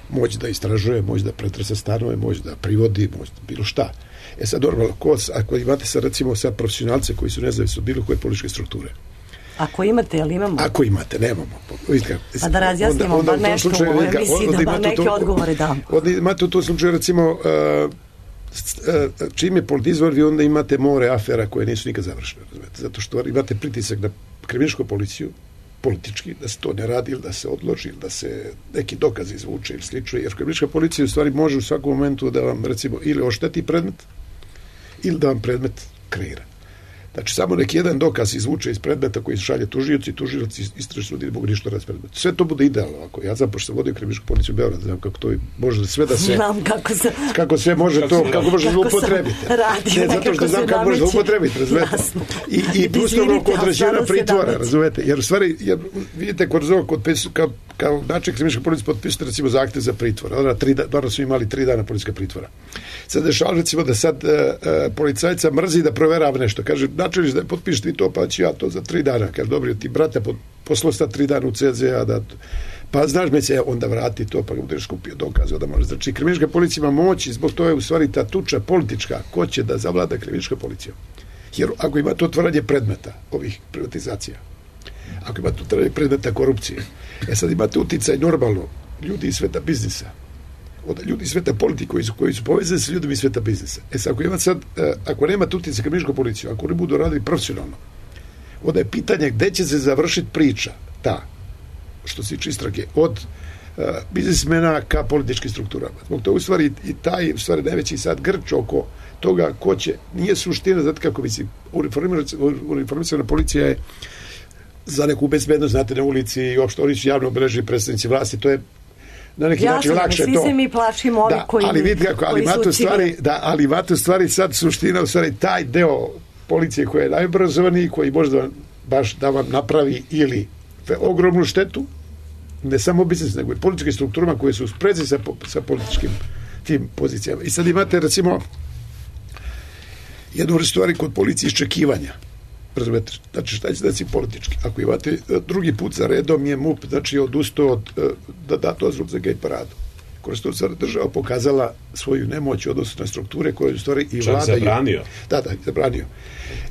moć da istražuje, moć da pretresa stanove, moć da privodi, moć da bilo šta. E sad normalno, ko, ako imate sad recimo sad profesionalce koji su nezavisni od bilo koje političke strukture, Ako imate, jel imamo? Ako imate, nemamo. Pa da razjasnimo, onda, onda bar nešto slučaju, u ovoj emisiji, da bar neke to, odgovore damo. Onda imate u tom slučaju, recimo, uh, čim je politizvar, vi onda imate more afera koje nisu nikad završene. Razumete? Zato što imate pritisak na kriminalističku policiju, politički, da se to ne radi ili da se odloži ili da se neki dokaz izvuče ili slično, jer kriminalistička policija u stvari može u svakom momentu da vam, recimo, ili ošteti predmet ili da vam predmet kreira. Znači, samo neki jedan dokaz izvuče iz predmeta koji šalje tužioci, tužioci istražni sud ne mogu ništa raditi s predmetom. Sve to bude idealno. Ako ja znam, pošto sam vodio kriminalističku policiju u Beogradu, znam kako to može sve da se... Znam kako se... Kako sve može to, kako može upotrebiti. Ne, zato što znam kako može upotrebiti, razumete? I, i plus ono kod određena pritvora, razumete? Jer u stvari, jer, vidite, kod ovog, kod kao, kao način kriminalističke policije potpisati, recimo, zahtev za pritvor. Onda tri, da su imali tri dana policijska pritvora. Sad dešava, recimo, da sad uh, uh, policajca mrzi da proverava nešto. Kaže, načeliš da potpišeš ti to, pa ću ja to za tri dana. Kaže, dobro, ti brate poslao sta tri dana u C Z A, da, pa znaš me se, onda vrati to, pa ga budeš skupio dokaze, onda može. Znači, kriminalistička policija ima moć i zbog toga je u stvari ta tuča politička, ko će da zavlada kriminalistička policija. Jer ako ima to otvaranje predmeta ovih privatizacija, ako ima to otvaranje predmeta korupcije, e sad imate uticaj normalno ljudi iz sveta biznisa, od ljudi iz sveta politike koji su, koji su povezani sa ljudima iz sveta biznisa. E sad, ako ima sad, ako nema uticaj kriminalističku policiju, ako ne budu radili profesionalno, onda je pitanje gde će se završiti priča ta, što se tiče istrage, od uh, biznismena ka političkim strukturama. Zbog toga u stvari i taj u stvari najveći sad grč oko toga ko će, nije suština, znate kako mislim, uniformisana policija je za neku bezbednost, znate, na ulici i uopšte oni su javno obeležili predstavnici vlasti, to je na neki Jasne, način lakše svi to. Svi se mi plašimo ovi da, koji, ali vidi kako, ali koji su stvari, da, ali imate u stvari sad suština, u stvari taj deo policije koji je najobrazovaniji, koji može da baš da vam napravi ili ogromnu štetu, ne samo biznis, nego i političkim strukturama koje su u sprezi sa, sa političkim tim pozicijama. I sad imate, recimo, jednu stvari kod policije iščekivanja. Razumete, znači šta će da si politički. Ako imate drugi put za redom je M U P, znači odustao od da da dozvolu za gej paradu. Kroz to sad država pokazala svoju nemoć u odnosu na strukture koje u stvari i Čak vlada... zabranio. Da, da, zabranio.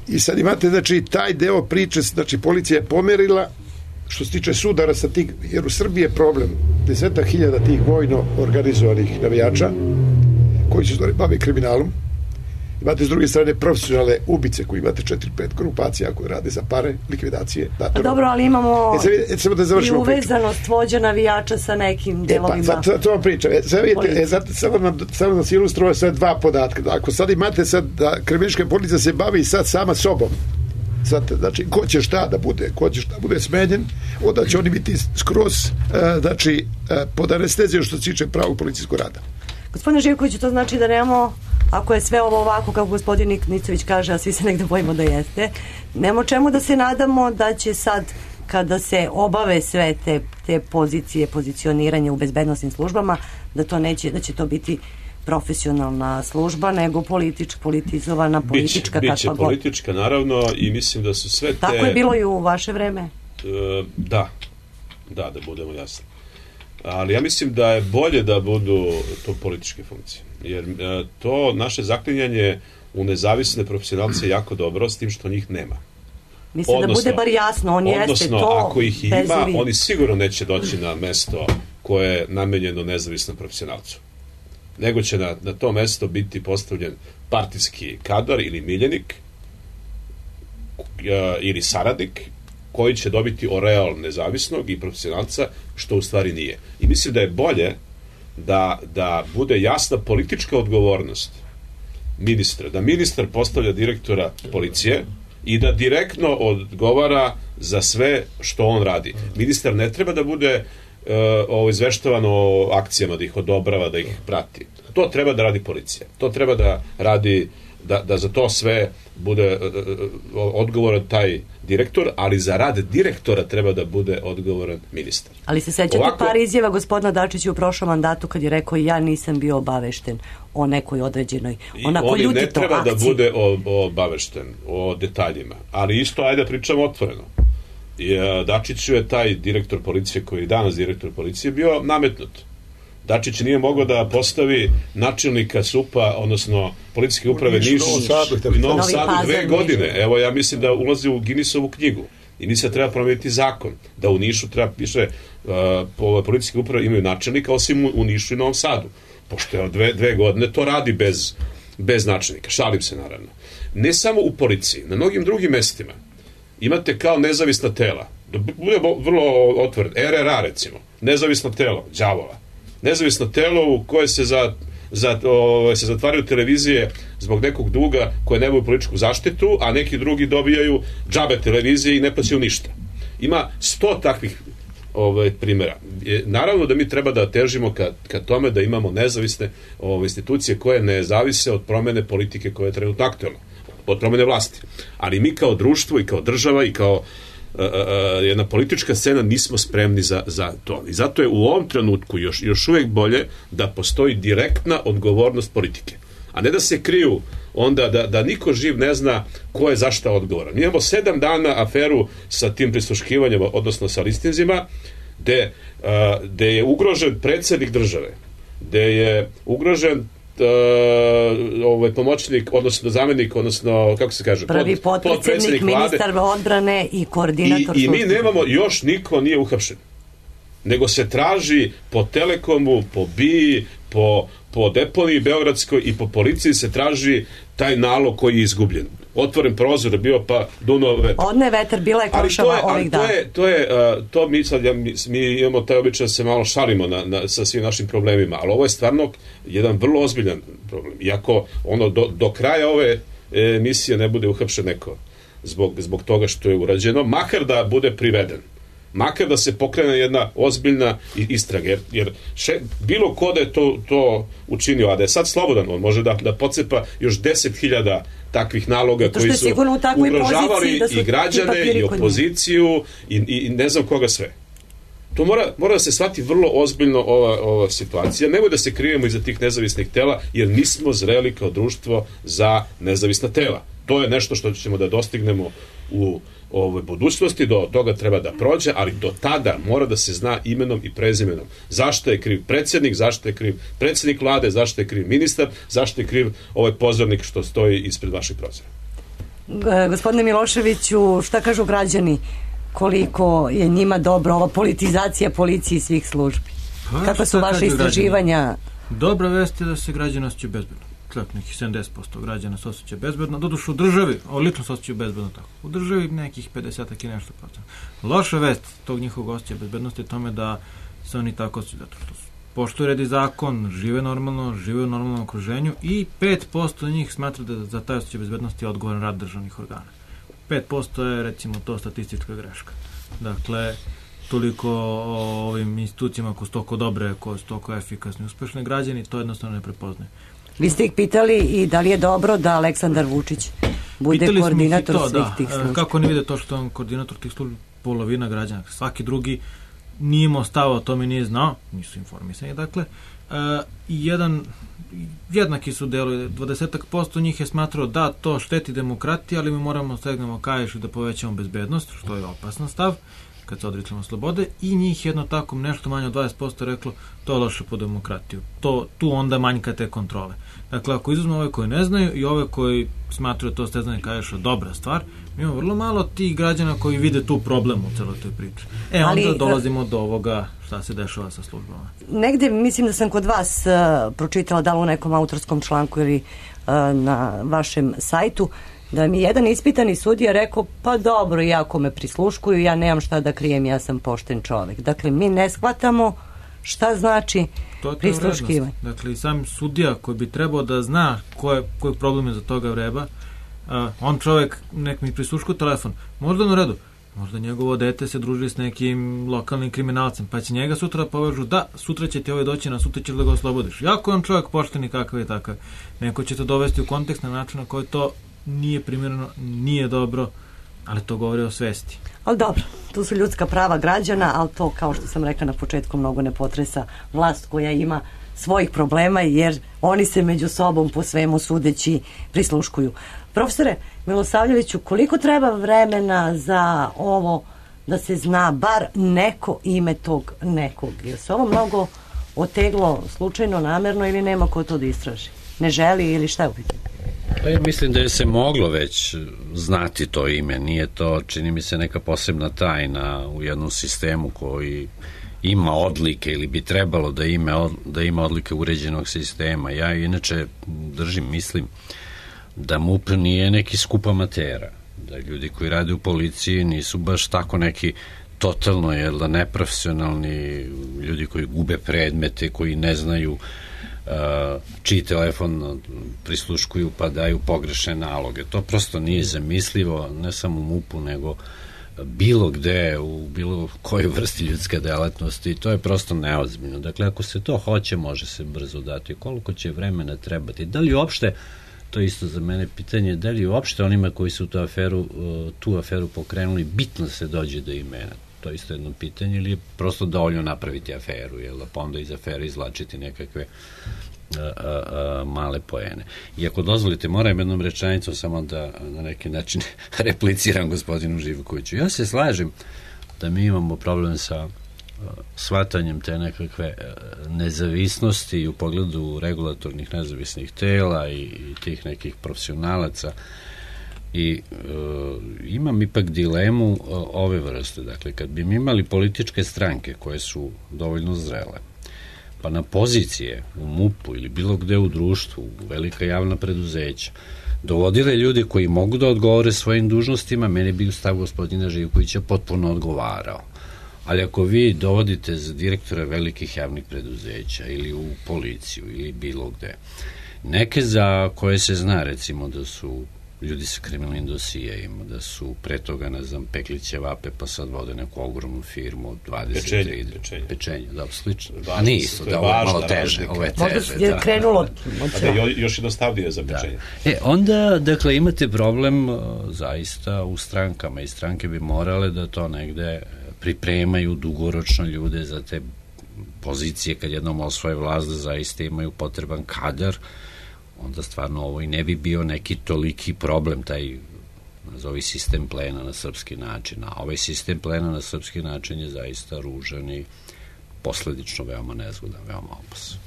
I sad imate, znači, taj deo priče, znači, policija je pomerila što se tiče sudara sa tih, jer u Srbiji je problem desetak hiljada tih vojno organizovanih navijača koji se stvari bave kriminalom. Imate s druge strane profesionalne ubice koji imate četiri pet grupacija koje rade za pare, likvidacije. Pa dobro, ali imamo e, sad, da i uvezanost vođa navijača sa nekim delovima. E, pa, to vam pričam. E, sad vidite, e, zato, samo nam, samo nam se ilustruje sve dva podatka. Ako sad imate sad da kriminalistička policija se bavi sad sama sobom, sad, znači, ko će šta da bude, ko će šta da bude smenjen, onda će oni biti skroz, uh, znači, uh, pod anestezijom što se tiče pravog policijskog rada. Gospodine Živkoviću, to znači da nemamo, ako je sve ovo ovako, kako gospodin Nicović kaže, a svi se negde bojimo da jeste, nemamo čemu da se nadamo da će sad, kada se obave sve te, te pozicije, pozicioniranje u bezbednostnim službama, da to neće, da će to biti profesionalna služba, nego politič, politizovana, politička, biće, kakva biće politička, naravno, i mislim da su sve te... Tako je bilo i u vaše vreme? E, da, da, da budemo jasni. Ali ja mislim da je bolje da budu to političke funkcije. Jer e, to naše zaklinjanje u nezavisne profesionalce je jako dobro, s tim što njih nema. Mislim odnosno, da bude bar jasno, on jeste to. Odnosno, ako ih ima, bezovi. Oni sigurno neće doći na mesto koje je namenjeno nezavisnom profesionalcu. Nego će na, na to mesto biti postavljen partijski kadar ili miljenik uh, ili saradnik koji će dobiti oreol nezavisnog i profesionalca, što u stvari nije. I mislim da je bolje da, da bude jasna politička odgovornost ministra, da ministar postavlja direktora policije i da direktno odgovara za sve što on radi. Ministar ne treba da bude Uh, ovo izveštavano o akcijama, da ih odobrava, da ih prati. To treba da radi policija. To treba da radi, da, da za to sve bude uh, odgovoran taj direktor, ali za rad direktora treba da bude odgovoran ministar. Ali se sećate Ovako, par izjava gospodina Dačića u prošlom mandatu kad je rekao ja nisam bio obavešten o nekoj određenoj onako ljutito akciji. Ne treba da bude obavešten o detaljima, ali isto ajde da pričamo otvoreno. Dačiću je taj direktor policije koji je danas direktor policije bio nametnut. Dačić nije mogao da postavi načelnika S U P-a, odnosno policijske uprave Niš u Novom Sadu dve godine. Evo, ja mislim da ulazi u Guinnessovu knjigu. I mislim da treba promijeniti zakon, da u Nišu treba piše, uh, policijske uprave imaju načelnika, osim u, u Nišu i Novom Sadu, pošto je dve, dve godine to radi bez, bez načelnika, šalim se naravno. Ne samo u policiji, na mnogim drugim mestima imate kao nezavisna tela, da bude vrlo otvoren, R R A recimo, nezavisno telo, đavola, nezavisno telo u koje se za Za, o, se zatvaraju televizije zbog nekog duga koje nemaju političku zaštitu, a neki drugi dobijaju džabe televizije i ne plaćaju ništa. Ima sto takvih ovaj, primjera. E, naravno da mi treba da težimo ka, ka tome da imamo nezavisne ovaj, institucije koje ne zavise od promene politike koja je trenutno aktualna, od promene vlasti. Ali mi kao društvo i kao država i kao Uh, uh, jedna politička scena nismo spremni za, za to. I zato je u ovom trenutku još, još uvijek bolje da postoji direktna odgovornost politike. A ne da se kriju onda da, da niko živ ne zna ko je za šta odgovoran. Mi imamo sedam dana aferu sa tim prisluškivanjem, odnosno sa listinzima, gde, uh, gde je ugrožen predsjednik države, gde je ugrožen Uh, ovaj pomoćnik, odnosno zamjenik, odnosno, kako se kaže, prvi pod, potpredsjednik, ministar odbrane i koordinator. I, i mi nemamo, još niko nije uhapšen. Nego se traži po Telekomu, po B I A, po, po deponiji Beogradskoj i po policiji se traži taj nalog koji je izgubljen. Otvoren prozor je bio, pa dunuo vetar. Odne vetar, bila je košava ovih dana. To je, to je, uh, to mi sad, ja, mi, mi imamo taj običaj da se malo šalimo na, na, sa svim našim problemima, ali ovo je stvarno jedan vrlo ozbiljan problem. Iako ono, do, do kraja ove emisije ne bude uhapšen neko zbog, zbog toga što je urađeno, makar da bude priveden. Makar da se pokrene jedna ozbiljna istraga, jer, jer še, bilo ko da je to, to učinio, a da je sad slobodan, on može da, da pocepa još deset hiljada takvih naloga koji su ugrožavali i građane i opoziciju i, i ne znam koga sve. To mora, mora da se shvati vrlo ozbiljno ova, ova situacija. Nemoj da se krijemo iza tih nezavisnih tela, jer nismo zreli kao društvo za nezavisna tela. To je nešto što ćemo da dostignemo u ovoj budućnosti, do toga treba da prođe, ali do tada mora da se zna imenom i prezimenom. Zašto je kriv predsjednik, zašto je kriv predsjednik vlade, zašto je kriv ministar, zašto je kriv ovaj pozornik što stoji ispred vaših prozora. Gospodine Miloševiću, šta kažu građani? Koliko je njima dobro ova politizacija policije i svih službi? Pa, kakva su vaše istraživanja? Građani? Dobra vest je da se građani osjećaju bezbedno. Tako, nekih sedamdeset posto građana se osjeća bezbedno. Doduše u državi, o, lično se osjećaju bezbedno tako. U državi nekih pedeset i nešto procent. Loša vest tog njihovog osjećaja bezbednosti je tome da se oni tako osjećaju, zato što poštuju red i zakon, žive normalno, žive u normalnom okruženju i pet posto njih smatra da za taj osjećaj bezbednosti je odgovoran rad državnih organa. pet posto je recimo to statistička greška. Dakle, toliko o ovim institucijama koje su toliko dobre, koje su toliko efikasne i uspešne, građani to jednostavno ne prepoznaju. Vi ste ih pitali i da li je dobro da Aleksandar Vučić bude pitali koordinator to, svih da. tih službi? Kako oni vide to što je on koordinator tih službi? Polovina građana. Svaki drugi nije imao stava, o tome nije znao, nisu informisani. Dakle, uh, jedan, jednaki su delu, dvadeset posto njih je smatrao da to šteti demokratiji, ali mi moramo stegnemo kaiš i da povećamo bezbednost, što je opasan stav, kad se odričemo slobode, i njih jedno tako nešto manje od dvadeset posto reklo to je loše po demokratiju. To, tu onda manjka te kontrole. Dakle, ako izuzmemo ove koji ne znaju i ove koji smatruju to stezanje kaiša dobra stvar, mi imamo vrlo malo tih građana koji vide tu problem u celoj toj priči. E, onda ali, dolazimo do ovoga šta se dešava sa službama. Negde, mislim da sam kod vas uh, pročitala, da li u nekom autorskom članku ili uh, na vašem sajtu, da mi jedan ispitani sudija rekao, pa dobro, iako me prisluškuju, ja nemam šta da krijem, ja sam pošten čovek. Dakle, mi ne shvatamo šta znači prisluškivanje. Dakle, i sam sudija koji bi trebao da zna koje, koji problem je za toga vreba, uh, on čovek, nek mi prisluškuje telefon, možda na redu, možda njegovo dete se druži s nekim lokalnim kriminalcem, pa će njega sutra povežu, da, sutra će ti ovaj doći, na sutra ćeš da ga oslobodiš. Jako je on čovek pošten i kakav je takav. Neko će to dovesti u kontekst na način na koji to nije primjereno, nije dobro, ali to govori o svesti. Ali dobro, tu su ljudska prava građana, ali to, kao što sam rekla na početku, mnogo ne potresa vlast koja ima svojih problema, jer oni se među sobom po svemu sudeći prisluškuju. Profesore Milosavljeviću, koliko treba vremena za ovo da se zna bar neko ime tog nekog? Je se ovo mnogo oteglo slučajno, namerno, ili nema ko to da istraži? Ne želi ili šta je u pitanju? Pa ja mislim da je se moglo već znati to ime, nije to, čini mi se, neka posebna tajna u jednom sistemu koji ima odlike ili bi trebalo da ima, da ima odlike uređenog sistema. Ja inače držim, mislim da MUP nije neki skup amatera, da ljudi koji rade u policiji nisu baš tako neki totalno, jel da, neprofesionalni ljudi koji gube predmete, koji ne znaju uh, čiji telefon prisluškuju pa daju pogrešne naloge. To prosto nije zamislivo, ne samo u MUP-u, nego bilo gde, u bilo kojoj vrsti ljudske delatnosti. To je prosto neozbiljno. Dakle, ako se to hoće, može se brzo dati. Koliko će vremena trebati? Da li uopšte, to je isto za mene pitanje, da li uopšte onima koji su tu aferu, tu aferu pokrenuli, bitno se dođe do imena? To je isto jedno pitanje, ili je prosto dovoljno napraviti aferu, jel, pa onda iz afere izlačiti nekakve a, a, a, male poene. I ako dozvolite, moram jednom rečenicom samo da na neki način repliciram gospodinu Živkoviću. Ja se slažem da mi imamo problem sa shvatanjem te nekakve nezavisnosti u pogledu regulatornih nezavisnih tela i, i tih nekih profesionalaca. I e, imam ipak dilemu e, ove vrste. Dakle, kad bi mi imali političke stranke koje su dovoljno zrele, pa na pozicije u MUP-u ili bilo gde u društvu, u velika javna preduzeća, dovodile ljudi koji mogu da odgovore svojim dužnostima, meni bi stav gospodina Živkovića potpuno odgovarao. Ali ako vi dovodite za direktora velikih javnih preduzeća ili u policiju ili bilo gde, neke za koje se zna, recimo, da su ljudi sa kriminalnim dosijejima, da su pre toga, ne znam, pekli ćevape, pa sad vode neku ogromnu firmu, dvadeset trideset Pečenje, pečenje, da, slično. A nije isto, da, ovo je malo teže, ovo je teže. Možda je krenulo. Da, još jednostavnije za pečenje. Da. E, onda, dakle, imate problem zaista u strankama i stranke bi morale da to negde pripremaju dugoročno ljude za te pozicije kad jednom osvoje vlast, da zaista imaju potreban kadar, onda stvarno ovo i ne bi bio neki toliki problem, taj nazovi sistem plena na srpski način, a ovaj sistem plena na srpski način je zaista ružan i posledično veoma nezgodan, veoma opasan.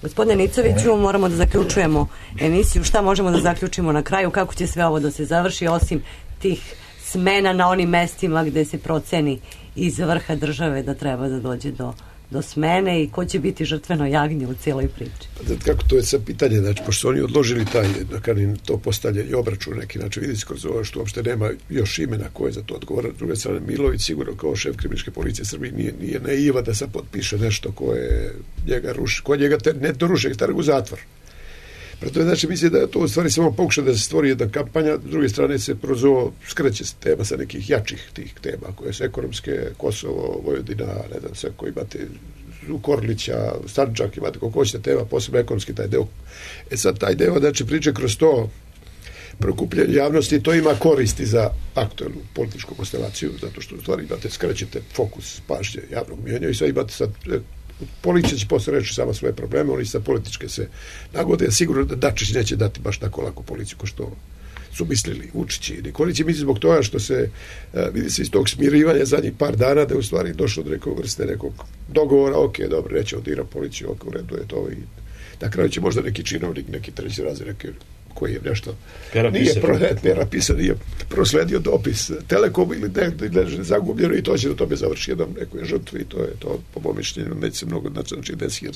Gospodine Nicoviću, moramo da zaključujemo emisiju. Šta možemo da zaključimo na kraju? Kako će sve ovo da se završi, osim tih smena na onim mestima gde se proceni iz vrha države da treba da dođe do do smene i ko će biti žrtveno jagnje u cijeloj priči? Pa, kako to je sad pitanje, znači, pošto su oni odložili taj, da kažem, to postavljanje obračun neki način, vidi se kroz ovo što uopšte nema još imena koje za to odgovara. S druge strane, Milović sigurno kao šef kriminalističke policije Srbije nije, nije naiva da sad potpiše nešto koje njega ruši, koje njega te, ne to ruši, stavlja u zatvor. Preto je, znači, mislim da je to u stvari samo pokušaj da se stvori jedna kampanja, s druge strane se kroz ovo skreće se tema sa nekih jačih tih tema, koje su ekonomske, Kosovo, Vojvodina, ne znam, sve koji imate Korlića, Stančak, imate kako hoćete tema, posebno ekonomski taj deo. E sad, taj deo, znači, priče kroz to prokupljanje javnosti, to ima koristi za aktualnu političku konstelaciju, zato što u stvari imate, skrećete fokus pažnje javnog mijenja i sad imate sad policija će posle reći sama svoje probleme, oni sad političke se nagode, sigurno da Dačić neće dati baš tako lako policiju ko što su mislili Vučić i Nikolić, misli zbog toga što se vidi se iz tog smirivanja zadnjih par dana da je u stvari došlo do nekog vrste nekog dogovora, ok, dobro, neće odira policiju, ok, u redu je to i na kraju će možda neki činovnik, neki treći razred, neki koji je nešto Pera nije pera pisao, nije prosledio dopis Telekom ili ne zagubljeno i to će do tome završi jednom nekoj žrtvi i to je to, po mom mišljenju, neće se mnogo znači desi, jer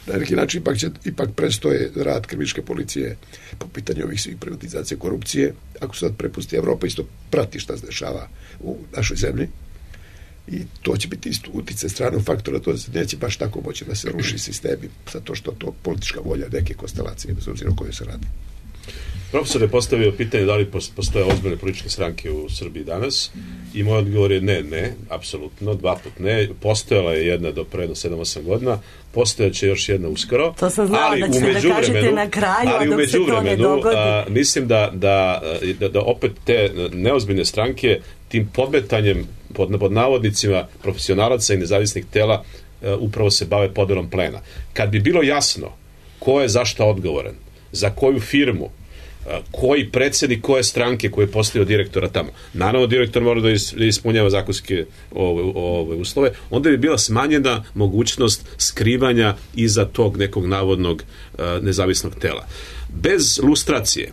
na neki način ipak, će, ipak prestoje rad kriminalističke policije po pitanju ovih svih privatizacije, korupcije. Ako se sad prepusti Evropa, isto prati šta se dešava u našoj zemlji i to će biti isto utice stranog faktora, to se neće baš tako moći da se ruši sistemi, zato što to politička volja neke konstelacije, bez obzira o kojoj se radi. Profesor je postavio pitanje da li postoje ozbiljne političke stranke u Srbiji danas i moj odgovor je ne, ne, apsolutno, dva put ne. Postojala je jedna do pre sedam osam godina, postojaće još jedna uskoro. To sam znala da ćete da kažete na kraju, a dok se to ne dogodi. A, mislim da, da, da, da opet te neozbiljne stranke tim podmetanjem pod, pod navodnicima profesionalaca i nezavisnih tela uh, upravo se bave podelom plena. Kad bi bilo jasno ko je zašto odgovoran, za koju firmu, koji predsjednik koje stranke koji je postavio direktora tamo. Naravno, direktor mora da ispunjava zakonske ove, ove uslove. Onda bi bila smanjena mogućnost skrivanja iza tog nekog navodnog uh, nezavisnog tela. Bez lustracije,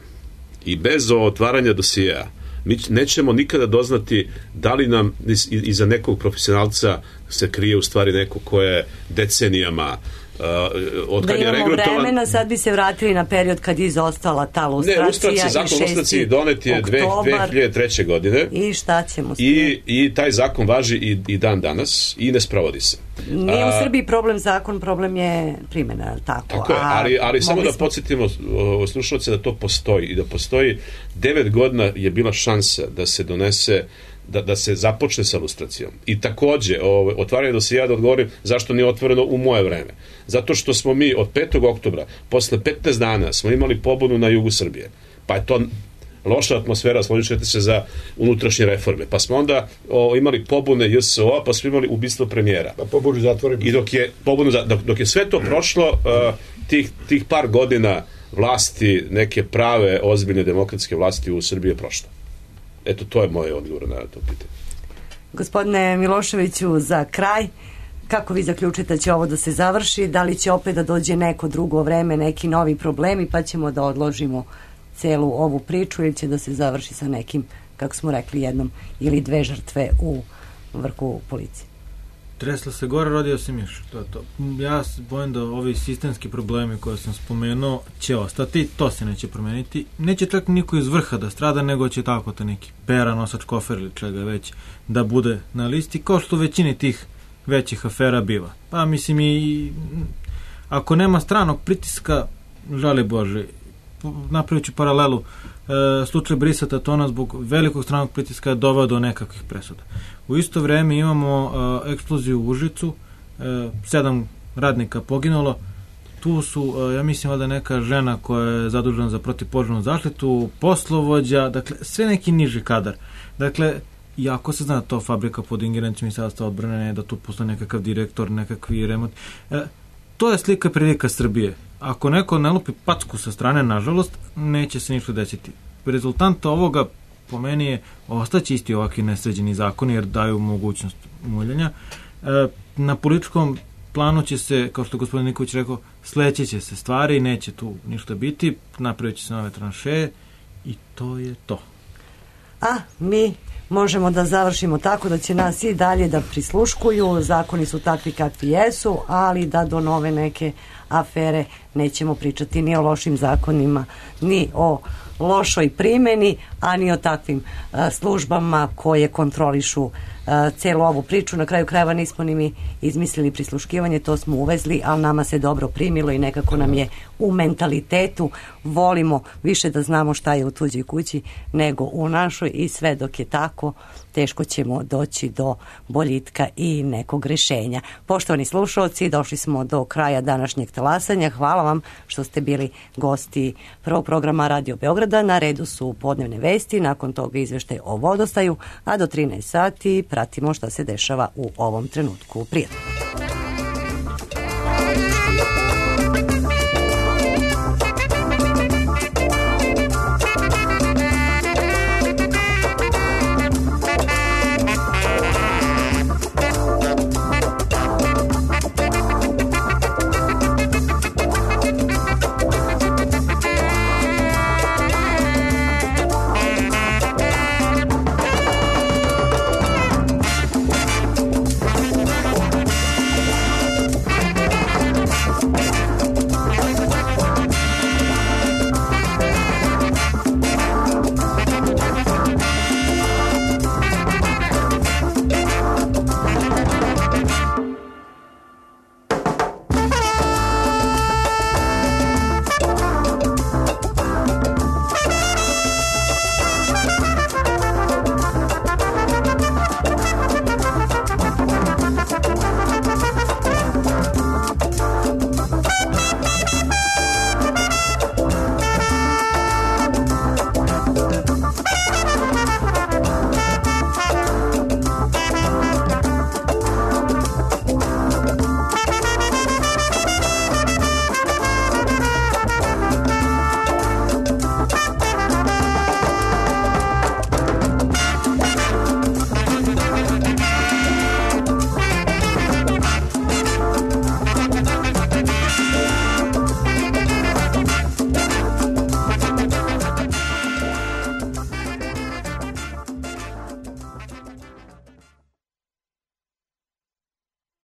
i bez otvaranja dosijeja mi nećemo nikada doznati da li nam iza nekog profesionalca se krije u stvari neko ko je decenijama Uh, od da kad je imamo regrutovan... vremena, sad bi se vratili na period kad je izostala ta lustracija. Ne, lustracija, zakon lustraciji donet je dve hiljade treće. godine i šta ćemo s I, i taj zakon važi i, i dan danas i ne sprovodi se. Nije u Srbiji problem zakon, problem je primjena, tako? Tako je, ali, ali samo da smo... podsjetimo slušalce da to postoji i da postoji devet godina je bila šansa da se donese Da, da se započne sa lustracijom. I takođe, ovo, otvaranje dosija da odgovorim zašto nije otvoreno u moje vreme. Zato što smo mi od petog oktobra, posle petnaest dana, smo imali pobunu na jugu Srbije. Pa je to loša atmosfera, složićete se, za unutrašnje reforme. Pa smo onda o, imali pobune J S O, pa smo imali ubistvo premijera. Pa pobunu zatvorimo. I dok je, pobunu, dok, dok je sve to prošlo, uh, tih, tih par godina vlasti, neke prave, ozbiljne demokratske vlasti u Srbiji je prošlo. Eto, to je moje odgovor na to pitanje. Gospodine Miloševiću, za kraj, kako vi zaključite da će ovo da se završi? Da li će opet da dođe neko drugo vreme, neki novi problemi, pa ćemo da odložimo celu ovu priču, ili će da se završi sa nekim, kako smo rekli, jednom ili dve žrtve u vrhu policije? Tresla se gore, rodio se miš. To je to. Ja se bojim da ovi sistemski problemi koje sam spomenuo će ostati, to se neće promeniti. Neće čak niko iz vrha da strada, nego će tako ta neki pera, nosač kofer ili čega već da bude na listi, kao što u većini tih većih afera biva. Pa mislim i ako nema stranog pritiska, žali Bože, napravit ću paralelu, e, slučaj Brisa Tatona zbog velikog stranog pritiska je doveo do nekakvih presuda. U isto vreme imamo e, eksploziju u Užicu, e, sedam radnika poginulo, tu su, e, ja mislim, valjda neka žena koja je zadužena za protivpožarnu zaštitu, poslovođa, dakle, sve neki niži kadar. Dakle, iako se zna da to fabrika pod ingerencijom Ministarstva odbrane, da tu postoji nekakav direktor, nekakvi remont, e, to je slika i prilika Srbije. Ako neko ne lupi packu sa strane, nažalost, neće se ništa desiti. Rezultant ovoga, po meni, je ostaće isti ovakvi nesređeni zakoni, jer daju mogućnost muljanja. E, na političkom planu će se, kao što je gospodin Nikolić rekao, sleće će se stvari, neće tu ništa biti, napravit će se nove tranšeje i to je to. A mi možemo da završimo tako da će nas i dalje da prisluškuju, zakoni su takvi kakvi jesu, ali da do nove neke afere nećemo pričati ni o lošim zakonima, ni o lošoj primjeni, a ni o takvim a, službama koje kontrolišu a, celu ovu priču. Na kraju krajeva nismo ni mi izmislili prisluškivanje, to smo uvezli, ali nama se dobro primilo i nekako nam je u mentalitetu, volimo više da znamo šta je u tuđoj kući nego u našoj, i sve dok je tako, teško ćemo doći do boljitka i nekog rešenja. Poštovani slušalci, došli smo do kraja današnjeg talasanja. Hvala vam što ste bili gosti prvog programa Radio Beograda. Na redu su podnevne vesti, nakon toga izveštaj o vodostaju, a do trinaest sati pratimo šta se dešava u ovom trenutku. Prijatno.